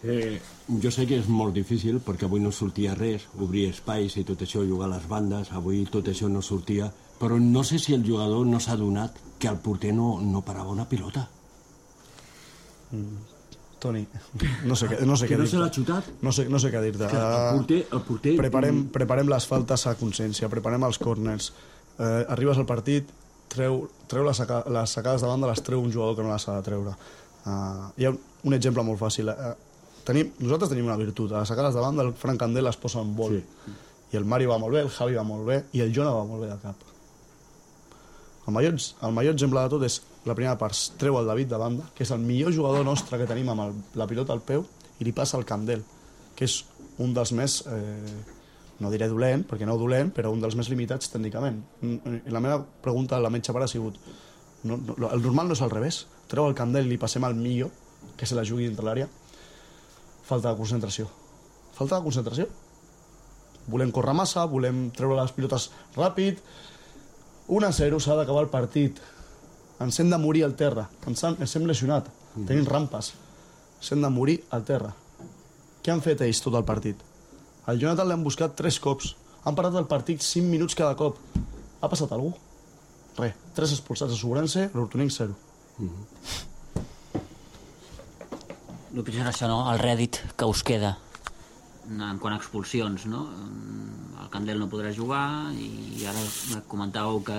Jo sé que és molt difícil perquè avui no sortia res, obrir espais i tot això, jugar a les bandes, avui tot això no sortia, però no sé si el jugador no s'ha adonat que el porter no parava una pilota. Toni, no sé què dir-te. Que no se l'ha xutat? No sé què dir-te. El porter... Preparem les faltes a consciència, preparem els corners. Arribes al partit, treu les sacades de banda, les treu un jugador que no les ha de treure. Hi ha un exemple molt fàcil. Nosaltres tenim una virtut. A les sacades de banda el Fran Candel les posa en vol. Sí. I el Mario va molt bé, el Javi va molt bé i el Jona va molt bé de cap. El millor exemple de tot és la primera part, treu el David de banda, que és el millor jugador nostre que tenim amb la pilota al peu, i li passa el Candel, que és un dels més, no diré dolent, perquè no dolent, però un dels més limitats tècnicament. La meva pregunta a la metge pare ha sigut, el normal no és al revés, treu el Candel i li passem al millor, que se la jugui dintre l'àrea. Falta de concentració. Falta de concentració. Volem córrer massa, volem treure les pilotes ràpid. 1-0, s'ha d'acabar el partit. Ens hem de morir al terra. Ens hem lesionat. Tenim rampes. Ens hem de morir al terra. Què han fet ells tot el partit? El Jonathan l'han buscat 3 cops. Han parat el partit 5 minuts cada cop. Ha passat algú? Res. 3 expulsats a Sobrense, l'Hortolink 0. El pitjor és això, no? El rèdit que us queda en quant a expulsions, no? El Candel no podrà jugar i ara comentàveu que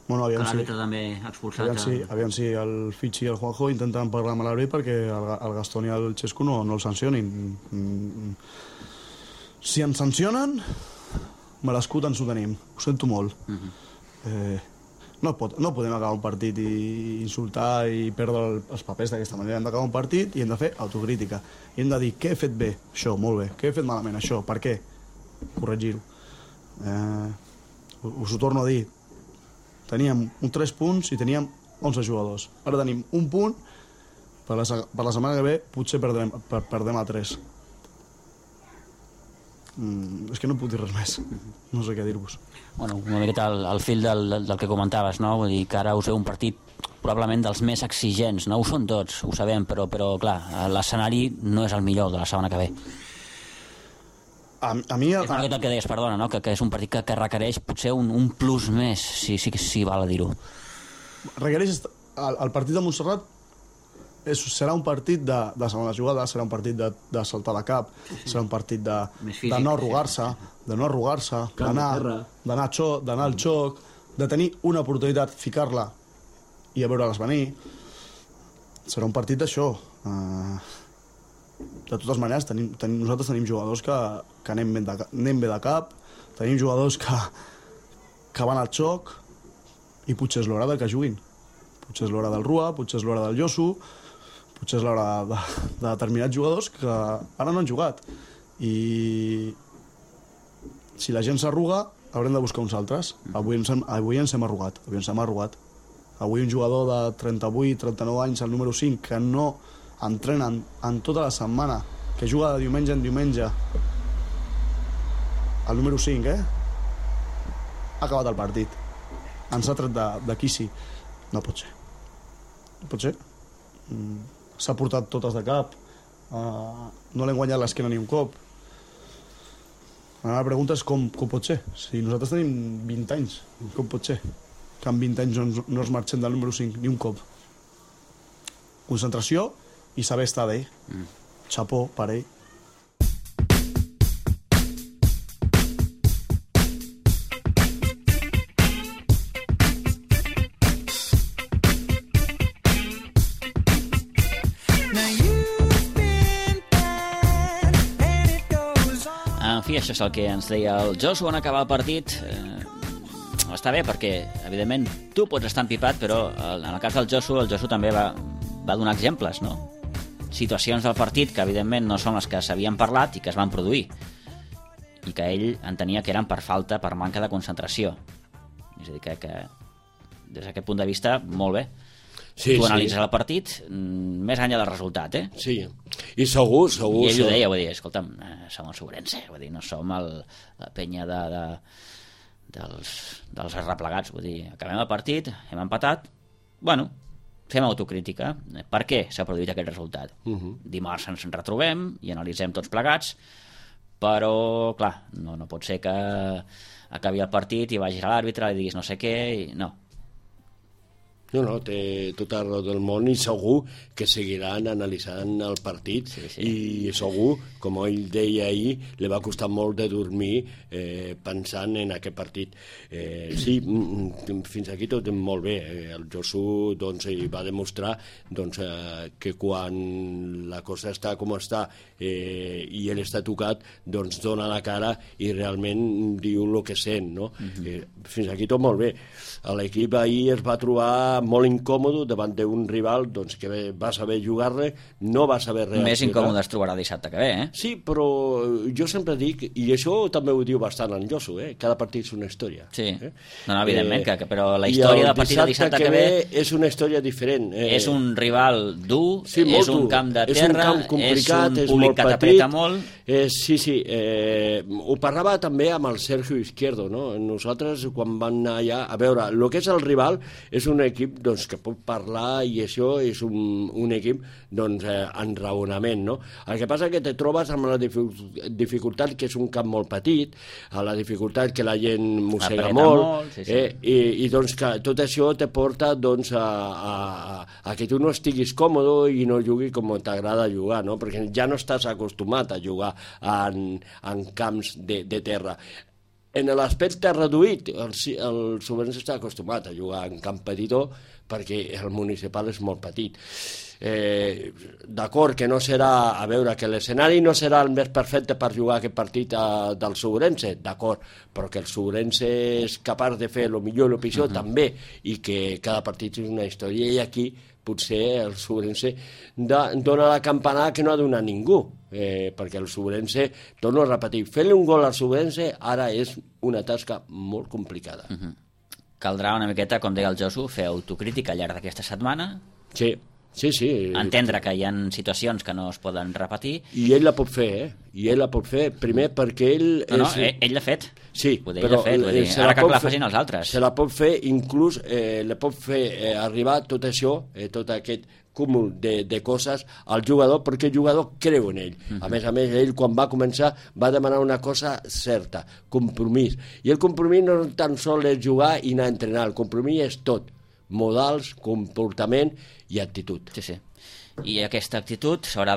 l'àrbitre també ha expulsat. Aviam si el Fitxi i el Juanjo intenten parlar amb l'àrbitre perquè el Gastón i el Xesco no el sancionin. Si ens sancionen, me l'escut ens ho tenim. Ho sento molt. No podem acabar un partit i insultar i perdre els papers d'aquesta manera. Hem d'acabar un partit i hem de fer autocrítica. I hem de dir què he fet bé, això, molt bé. Què he fet malament, això, per què? Corregir-ho. Us ho torno a dir. Teníem 3 punts i teníem 11 jugadors. Ara tenim un punt, per la setmana que ve potser perdem a 3. És que no puc dir res més. No sé què dir-vos. Bueno, una miqueta al fil del que comentaves, no? Vull dir que ara us ve un partit probablement dels més exigents, no? Ho són tots, ho sabem, però clar, l'escenari no és el millor de la setmana que ve. A mi... És una miqueta el que deies, perdona, no? Que és un partit que requereix potser un plus més, si val a dir-ho. Requereix... El partit de Montserrat serà un partit de segona jugada, serà un partit de saltar de cap, serà un partit de no arrugar-se, d'anar al xoc, de tenir una oportunitat, ficar-la i a veure-les venir. Serà un partit d'això. De totes maneres, nosaltres tenim jugadors que anem bé de cap, tenim jugadors que van al xoc i potser és l'hora que juguin. Potser és l'hora del Rua, potser és l'hora del Josu, potser és l'hora de determinats jugadors que ara no han jugat. I si la gent s'arruga, haurem de buscar uns altres. Avui ens hem arrugat. Avui un jugador de 38-39 anys, el número 5, que no entrena en tota la setmana, que juga de diumenge en diumenge, el número 5, ha acabat el partit. Ens ha tret de quici. No pot ser. No pot ser. S'ha portat totes de cap, no l'hem guanyat l'esquena ni un cop. La pregunta és com pot ser. Si nosaltres tenim 20 anys, com pot ser que en 20 anys no es marxem del número 5 ni un cop? Concentració i saber estar d'ell. Xapó per ell. Això és el que ens deia el Josu en acabar el partit. Està bé perquè, evidentment, tu pots estar empipat, però en el cas del Josu també va donar exemples, no? Situacions del partit que, evidentment, no són les que s'havien parlat i que es van produir i que ell entenia que eren per falta, per manca de concentració. És a dir, que des d'aquest punt de vista, molt bé. tu analitzes el partit més enllà del resultat, Sí, i segur... I ell ho deia, vull dir, escolta'm, som el Sobrense, vull dir, no som la penya dels arreplegats, vull dir, acabem el partit, hem empatat, bueno, fem autocrítica. Per què s'ha produït aquest resultat? Dimarts ens retrobem i analitzem tots plegats, però, clar, no pot ser que acabi el partit i vagis a l'àrbitre i diguis no sé què, no. No, té tota raó del món i segur que seguiran analitzant el partit i segur, com ell deia ahir, li va costar molt de dormir pensant en aquest partit. Sí, fins aquí tot molt bé. El Josu va demostrar que quan la cosa està com està i ell està tocat, dona la cara i realment diu el que sent. Fins aquí tot molt bé. L'equip ahir es va trobar molt incòmode davant d'un rival que va saber jugar-le, no va saber reaccionar. Més incòmode es trobarà dissabte que ve, Sí, però jo sempre dic, i això també ho diu bastant en Josu, cada partit és una història. Sí, no, evidentment, però la història del partit de dissabte que ve és una història diferent. És un rival dur, és un camp de terra, és un públic que t'apreta molt. Sí, ho parlava també amb el Sergio Izquierdo, nosaltres quan van anar allà, a veure, el que és el rival és un equip que pot parlar i això és un equip en raonament. El que passa és que te trobes amb la dificultat que és un camp molt petit, la dificultat que la gent mossega molt, i que tot això te porta a que tu no estiguis còmode i no juguis com t'agrada jugar, perquè ja no estàs acostumat a jugar en camps de terra. En l'aspecte reduït, el Sobrense està acostumat a jugar en camp petitó perquè el municipal és molt petit. D'acord que no serà, a veure, que l'escenari no serà el més perfecte per jugar aquest partit del Sobrense, d'acord, però que el Sobrense és capaç de fer el millor i el pitjor també, i que cada partit és una història, i aquí potser el Sobrense dona la campanada que no ha donat ningú, perquè el Sobrense, torno a repetir, fer-li un gol al Sobrense ara és una tasca molt complicada. Caldrà una miqueta, com deia el Josu, fer autocrítica al llarg d'aquesta setmana. Sí. Entendre que hi ha situacions que no es poden repetir. I ell la pot fer, I ell la pot fer, primer perquè ell... ell l'ha fet. Sí, però ara que la facin els altres. Se la pot fer, inclús le pot fer arribar tot això, tot aquest cúmul de coses al jugador, perquè el jugador creu en ell. A més, ell quan va començar va demanar una cosa certa, compromís. I el compromís no tan sols és jugar i anar a entrenar, el compromís és tot. Modals, comportament i actitud. Sí. I aquesta actitud s'haurà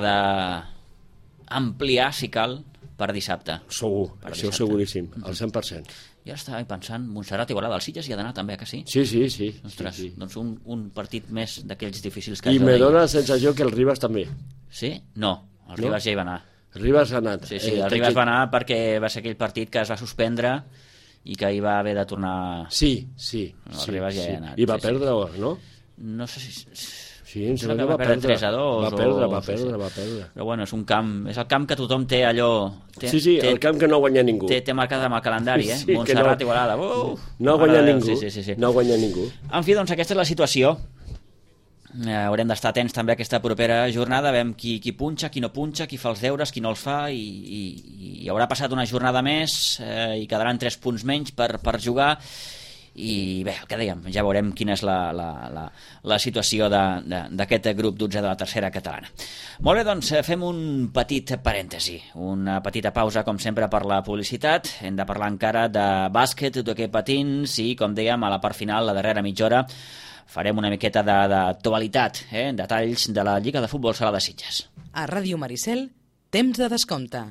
d'ampliar, si cal, per dissabte. Segur, això seguríssim, al 100%. Jo estava pensant, Montserrat Igualada, el Sitges hi ha d'anar també, que sí? Sí. Ostres, doncs un partit més d'aquells difícils que I me dóna la sensació que el Ribas també. Sí? No, el Ribas ja hi va anar. Ribas ha anat. Sí, el Ribas va anar perquè va ser aquell partit que es va suspendre i que hi va haver de tornar... Sí. El Ribas ja hi ha anat. I va perdre, no? No sé si... Sí, em sembla que va perdre 3-2. Va perdre. Però bueno, és el camp que tothom té allò... Sí, el camp que no guanya ningú. Té marcat amb el calendari, Montserrat Igualada. No guanya ningú. No guanya ningú. En fi, doncs aquesta és la situació. Haurem d'estar atents també a aquesta propera jornada, veiem qui punxa, qui no punxa, qui fa els deures, qui no els fa, i haurà passat una jornada més i quedaran 3 punts menys per jugar. I bé, el que dèiem, ja veurem quina és la situació d'aquest grup 12 de la tercera catalana. Molt bé, doncs fem un petit parèntesi, una petita pausa com sempre per la publicitat. Hem de parlar encara de bàsquet, d'hoquei patins i, com dèiem, a la part final, la darrera mitja hora, farem una miqueta d'actualitat, detalls de la Lliga de Futbol Sala de Sitges. A Ràdio Maricel, temps de descompte.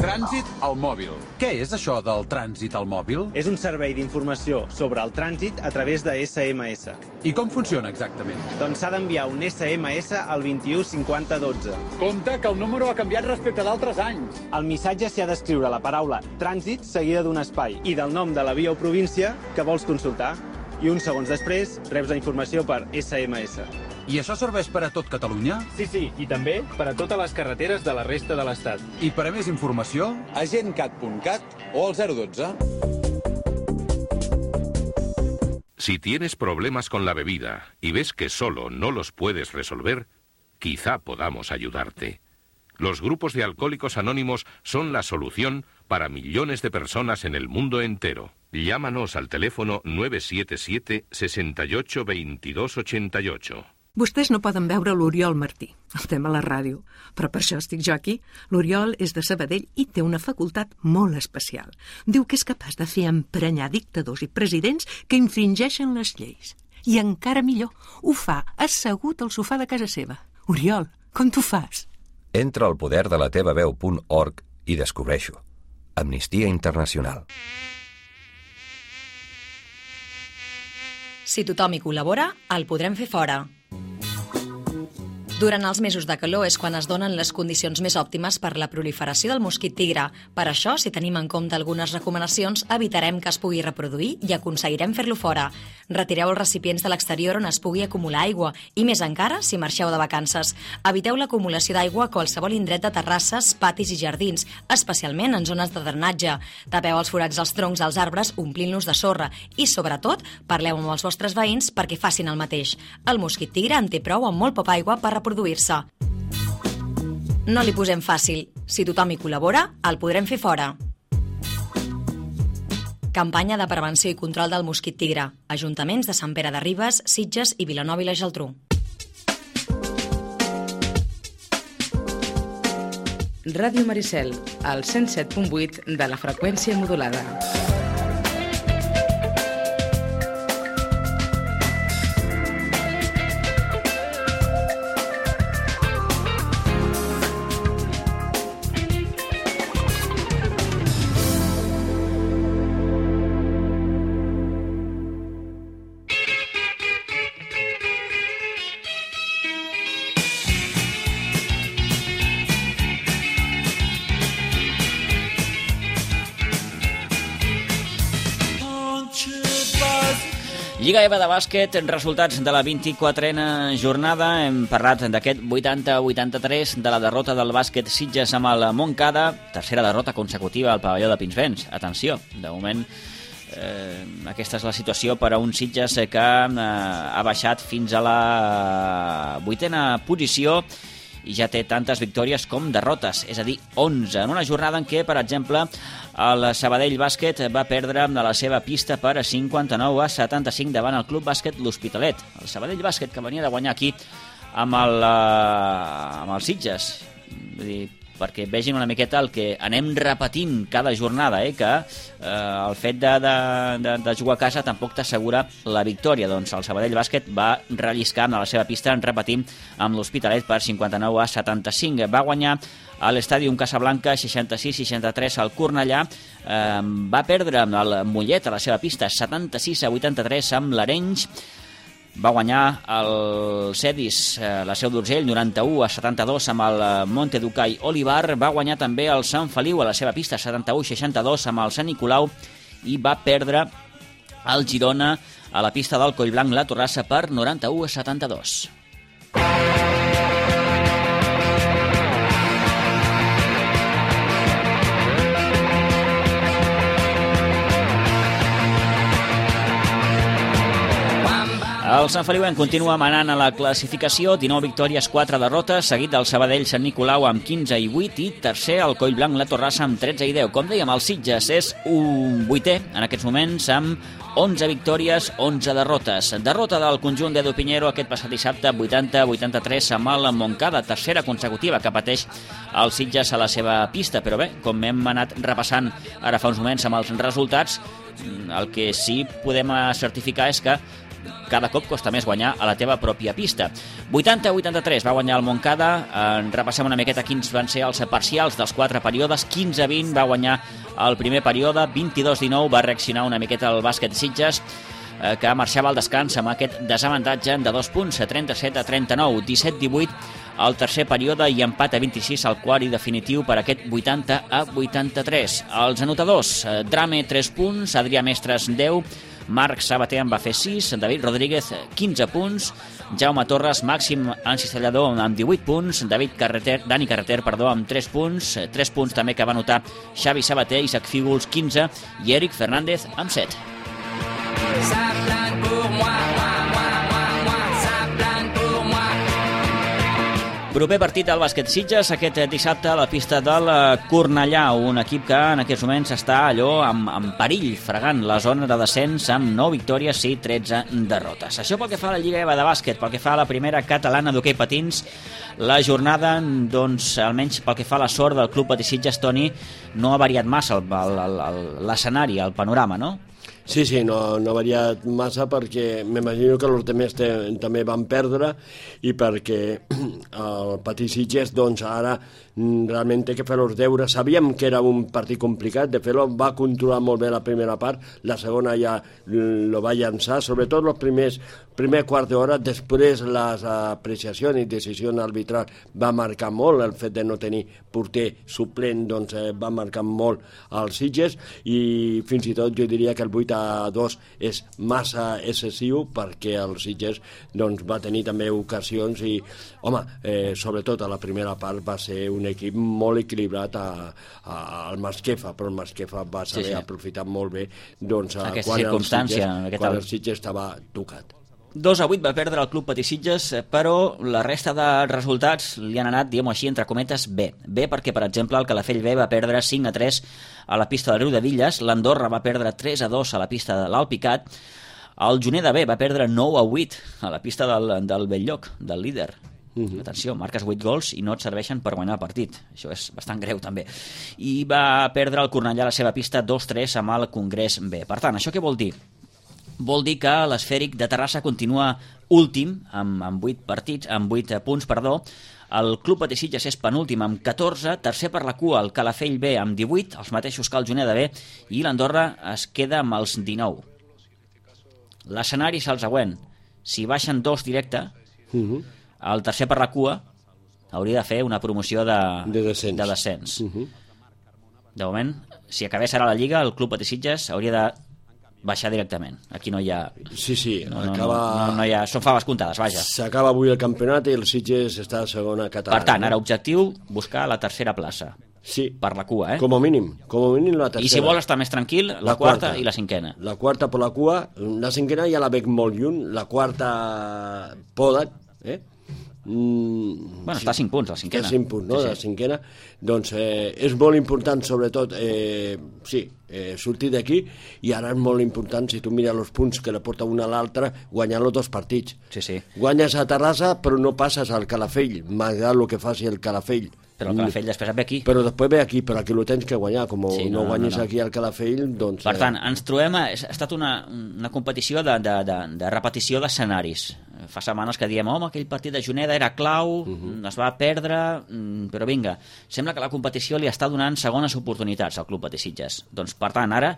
Trànsit al mòbil. Què és això del trànsit al mòbil? És un servei d'informació sobre el trànsit a través de SMS. I com funciona exactament? Doncs s'ha d'enviar un SMS al 21 50 12. Compte que el número ha canviat respecte d'altres anys. Al missatge s'hi ha d'escriure la paraula trànsit seguida d'un espai i del nom de la via o província que vols consultar. I uns segons després reps la informació per SMS. I això serveix per a tot Catalunya? Sí, i també per a totes les carreteres de la resta de l'Estat. I per a més informació? Agentcat.cat o al 012. Si tienes problemas con la bebida y ves que solo no los puedes resolver, quizá podamos ayudarte. Los grupos de alcohólicos anónimos son la solución para millones de personas en el mundo entero. Llámanos al teléfono 977 68 22 88. Vostès no poden veure l'Oriol Martí, el tema a la ràdio, però per això estic jo aquí. L'Oriol és de Sabadell i té una facultat molt especial. Diu que és capaç de fer emprenyar dictadors i presidents que infringeixen les lleis. I encara millor, ho fa assegut al sofà de casa seva. Oriol, com t'ho fas? Entra al poderdelatevaveu.org i descobreixo. Amnistia Internacional. Si tothom hi col·labora, el podrem fer fora. Durant els mesos de calor és quan es donen les condicions més òptimes per la proliferació del mosquit tigre. Per això, si tenim en compte algunes recomanacions, evitarem que es pugui reproduir i aconseguirem fer-lo fora. Retireu els recipients de l'exterior on es pugui acumular aigua i, més encara, si marxeu de vacances. Eviteu l'acumulació d'aigua a qualsevol indret de terrasses, patis i jardins, especialment en zones de drenatge. Tapeu els forats dels troncs dels arbres omplint-los de sorra i, sobretot, parleu amb els vostres veïns perquè facin el mateix. El mosquit tigre en té prou amb molt poca aigua per reproduir-se. No li posem fàcil. Si tothom hi col·labora, el podrem fer fora. Campanya de prevenció i control del mosquit tigre. Ajuntaments de Sant Pere de Ribes, Sitges i Vilanova i la Geltrú. Ràdio Maricel, al 107.8 de la freqüència modulada. Lliga EVA de bàsquet, resultats de la 24a jornada. Hem parlat d'aquest 80-83 de la derrota del bàsquet Sitges amb el Montcada. Tercera derrota consecutiva al pavelló de Pinsbens. Atenció, de moment aquesta és la situació per a un Sitges que ha baixat fins a la 8a posició i ja té tantes victòries com derrotes, és a dir, 11. En una jornada en què, per exemple, el Sabadell Bàsquet va perdre de la seva pista per 59-75 davant el Club Bàsquet L'Hospitalet. El Sabadell Bàsquet que venia de guanyar aquí amb el Sitges. Vull dir, perquè vegin una miqueta el que anem repetint cada jornada, que el fet de jugar a casa tampoc t'assegura la victòria. Doncs el Sabadell Bàsquet va relliscant a la seva pista, repetint amb l'Hospitalet per 59-75. Va guanyar a l'Estàdium Casablanca 66-63 al Cornellà. Va perdre el Mollet a la seva pista 76-83 amb l'Arenys. Va guanyar el Cedis, la Seu d'Urgell, 91-72 amb el Monteducai Olivar. Va guanyar també el Sant Feliu a la seva pista 71-62 amb el Sant Nicolau i va perdre el Girona a la pista del Collblanc la Torrassa per 91-72. El Sant Feliu continua manant a la classificació, 19 victòries, 4 derrotes, seguit del Sabadell Sant Nicolau amb 15 i 8 i tercer el Collblanc la Torrassa amb 13 i 10. Com dèiem, el Sitges és un 8è en aquests moments amb 11 victòries, 11 derrotes. Derrota del conjunt d'Edu Piñero aquest passat dissabte, 80-83 amb el Montcada, tercera consecutiva que pateix el Sitges a la seva pista. Però bé, com hem anat repassant ara fa uns moments amb els resultats, el que sí podem certificar és que cada cop costa més guanyar a la teva pròpia pista. 80-83 va guanyar el Montcada. Repassem una miqueta quins van ser els parcials dels 4 períodes. 15-20 va guanyar el primer període, 22-19 va reaccionar una miqueta el bàsquet Sitges, que marxava al descans amb aquest desavantatge de 2 punts, 37-39, 17-18 al tercer període i empat a 26 al quart i definitiu per aquest 80-83. Els anotadors, Drame 3 punts, Adrià Mestres 10, Marc Sabater en va fer 6, David Rodríguez 15 punts, Jaume Torres, Màxim Encistellador amb 18 punts, Dani Carreter amb 3 punts, 3 punts també que va anotar Xavi Sabater, Isaac Fígols 15 i Eric Fernández amb 7. Proper partit del bàsquet Sitges aquest dissabte a la pista del Cornellà, un equip que en aquests moments està allò en perill, fregant la zona de descens amb 9 victòries i 13 derrotes. Això pel que fa a la Lliga EVA de bàsquet, pel que fa a la primera catalana d'hoquei patins, la jornada, doncs, almenys pel que fa a la sort del Club Patí Sitges, Toni, no ha variat massa l'escenari, el panorama, no? Sí, no ha variat massa perquè m'imagino que els altres també van perdre i perquè el Patí Sitges doncs ara realment té que fer els deures. Sabíem que era un partit complicat, de fet va controlar molt bé la primera part, la segona ja lo va llançar, sobretot els primer quart d'hora, després les apreciacions i decisions arbitral va marcar molt, el fet de no tenir porter suplent doncs va marcar molt als Sitges i fins i tot jo diria que el 8-2 és massa excessiu perquè el Sitges doncs, va tenir també ocasions i, home, sobretot a la primera part va ser un equip molt equilibrat al Masquefa, però el Masquefa va saber aprofitar molt bé doncs, quan el Sitges estava tocat. 2-8 va perdre el Club Patí Sitges, però la resta de resultats li han anat, diguem-ho així, entre cometes, bé. Bé perquè, per exemple, el Calafell B va perdre 5-3 a la pista del Riu de Villes, l'Andorra va perdre 3-2 a la pista de l'Alpicat, el Juneda B va perdre 9-8 a la pista del Belllloc, del líder. Atenció, marques 8 gols i no et serveixen per guanyar el partit. Això és bastant greu, també. I va perdre el Cornellà a la seva pista 2-3 amb el Congrés B. Per tant, això què vol dir? Vol dir que l'Esfèric de Terrassa continua últim amb 8 punts. El Club Patí Sitges és penúltim amb 14, tercer per la cua el Calafell B amb 18, els mateixos que el Juneda B, i l'Andorra es queda amb els 19. L'escenari és el següent. Si baixen 2 directe, el tercer per la cua hauria de fer una promoció de descens. De moment, si acabés ara la Lliga, el Club Patí Sitges hauria de baixar directament. Aquí no hi ha... Sí, no hi ha... Són faves comptades, vaja. S'acaba avui el campionat i el Sitges està a segona catalana. Per tant, ara objectiu, buscar la tercera plaça. Sí. Per la cua, Com a mínim la tercera. I si vol estar més tranquil, la quarta i la cinquena. La quarta per la cua, la cinquena ja la veig molt lluny, la quarta poden, Bueno, està a 5 punts, la cinquena. Està a 5 punts, no?, la cinquena. Doncs és molt important, sobretot, sortir d'aquí, i ara és molt important, si tu mires els punts que la porta una a l'altra, guanyar els 2 partits. Guanyes a Terrassa, però no passes al Calafell, malgrat el que faci el Calafell. Però el Calafell després ve aquí. Però després ve aquí, però aquí ho tens que guanyar. Com no guanyes aquí al Calafell, doncs... Per tant, ens trobem... Ha estat una competició de repetició d'escenaris. Fa setmanes que diem, home, aquell partit de Juneda era clau, es va perdre, però vinga, sembla que la competició li està donant segones oportunitats al Club Patí Sitges. Doncs, per tant, ara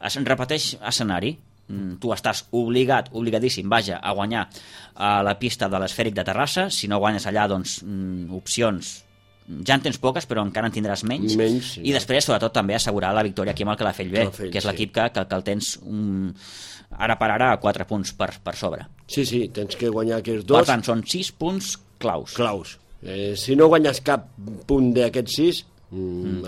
es repeteix escenari. Tu estàs obligadíssim, a guanyar a la pista de l'Esfèric de Terrassa. Si no guanyes allà, doncs, opcions ja en tens poques, però encara en tindràs menys. I després, sobretot, també assegurar la victòria aquí amb el Calafell B, que és l'equip que el tens ara per ara a 4 punts per sobre. Sí, tens que guanyar aquests 2. Per tant, són 6 punts claus. Si no guanyes cap punt d'aquests 6,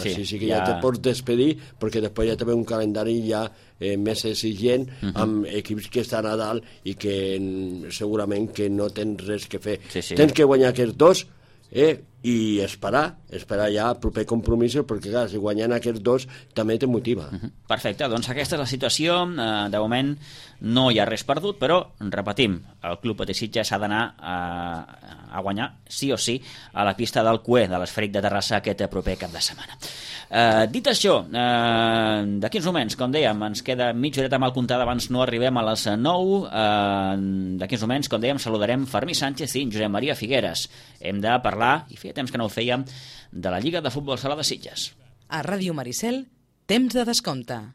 així sí que ja te pots despedir, perquè després ja té un calendari ja més exigent amb equips que estan a dalt i que segurament que no tens res que fer. Tens que guanyar aquests 2 i esperar ja el proper compromís, perquè clar, si guanyen aquests 2 també te motiva. Perfecte, doncs aquesta és la situació. De moment no hi ha res perdut, però repetim, el Club Patí Sitges ha d'anar a guanyar sí o sí a la pista del CUE de l'Esfèric de Terrassa aquest proper cap de setmana. Dit això, d'aquí uns moments, com dèiem, ens queda mitja horeta mal comptada abans no arribem a les 9. D'aquí uns moments, com dèiem, saludarem Fermí Sánchez i Josep Maria Figueres. Hem de parlar, i feia temps que no ho fèiem, de la Lliga de Futbol Sala de Sitges. A Ràdio Maricel, temps de descompte.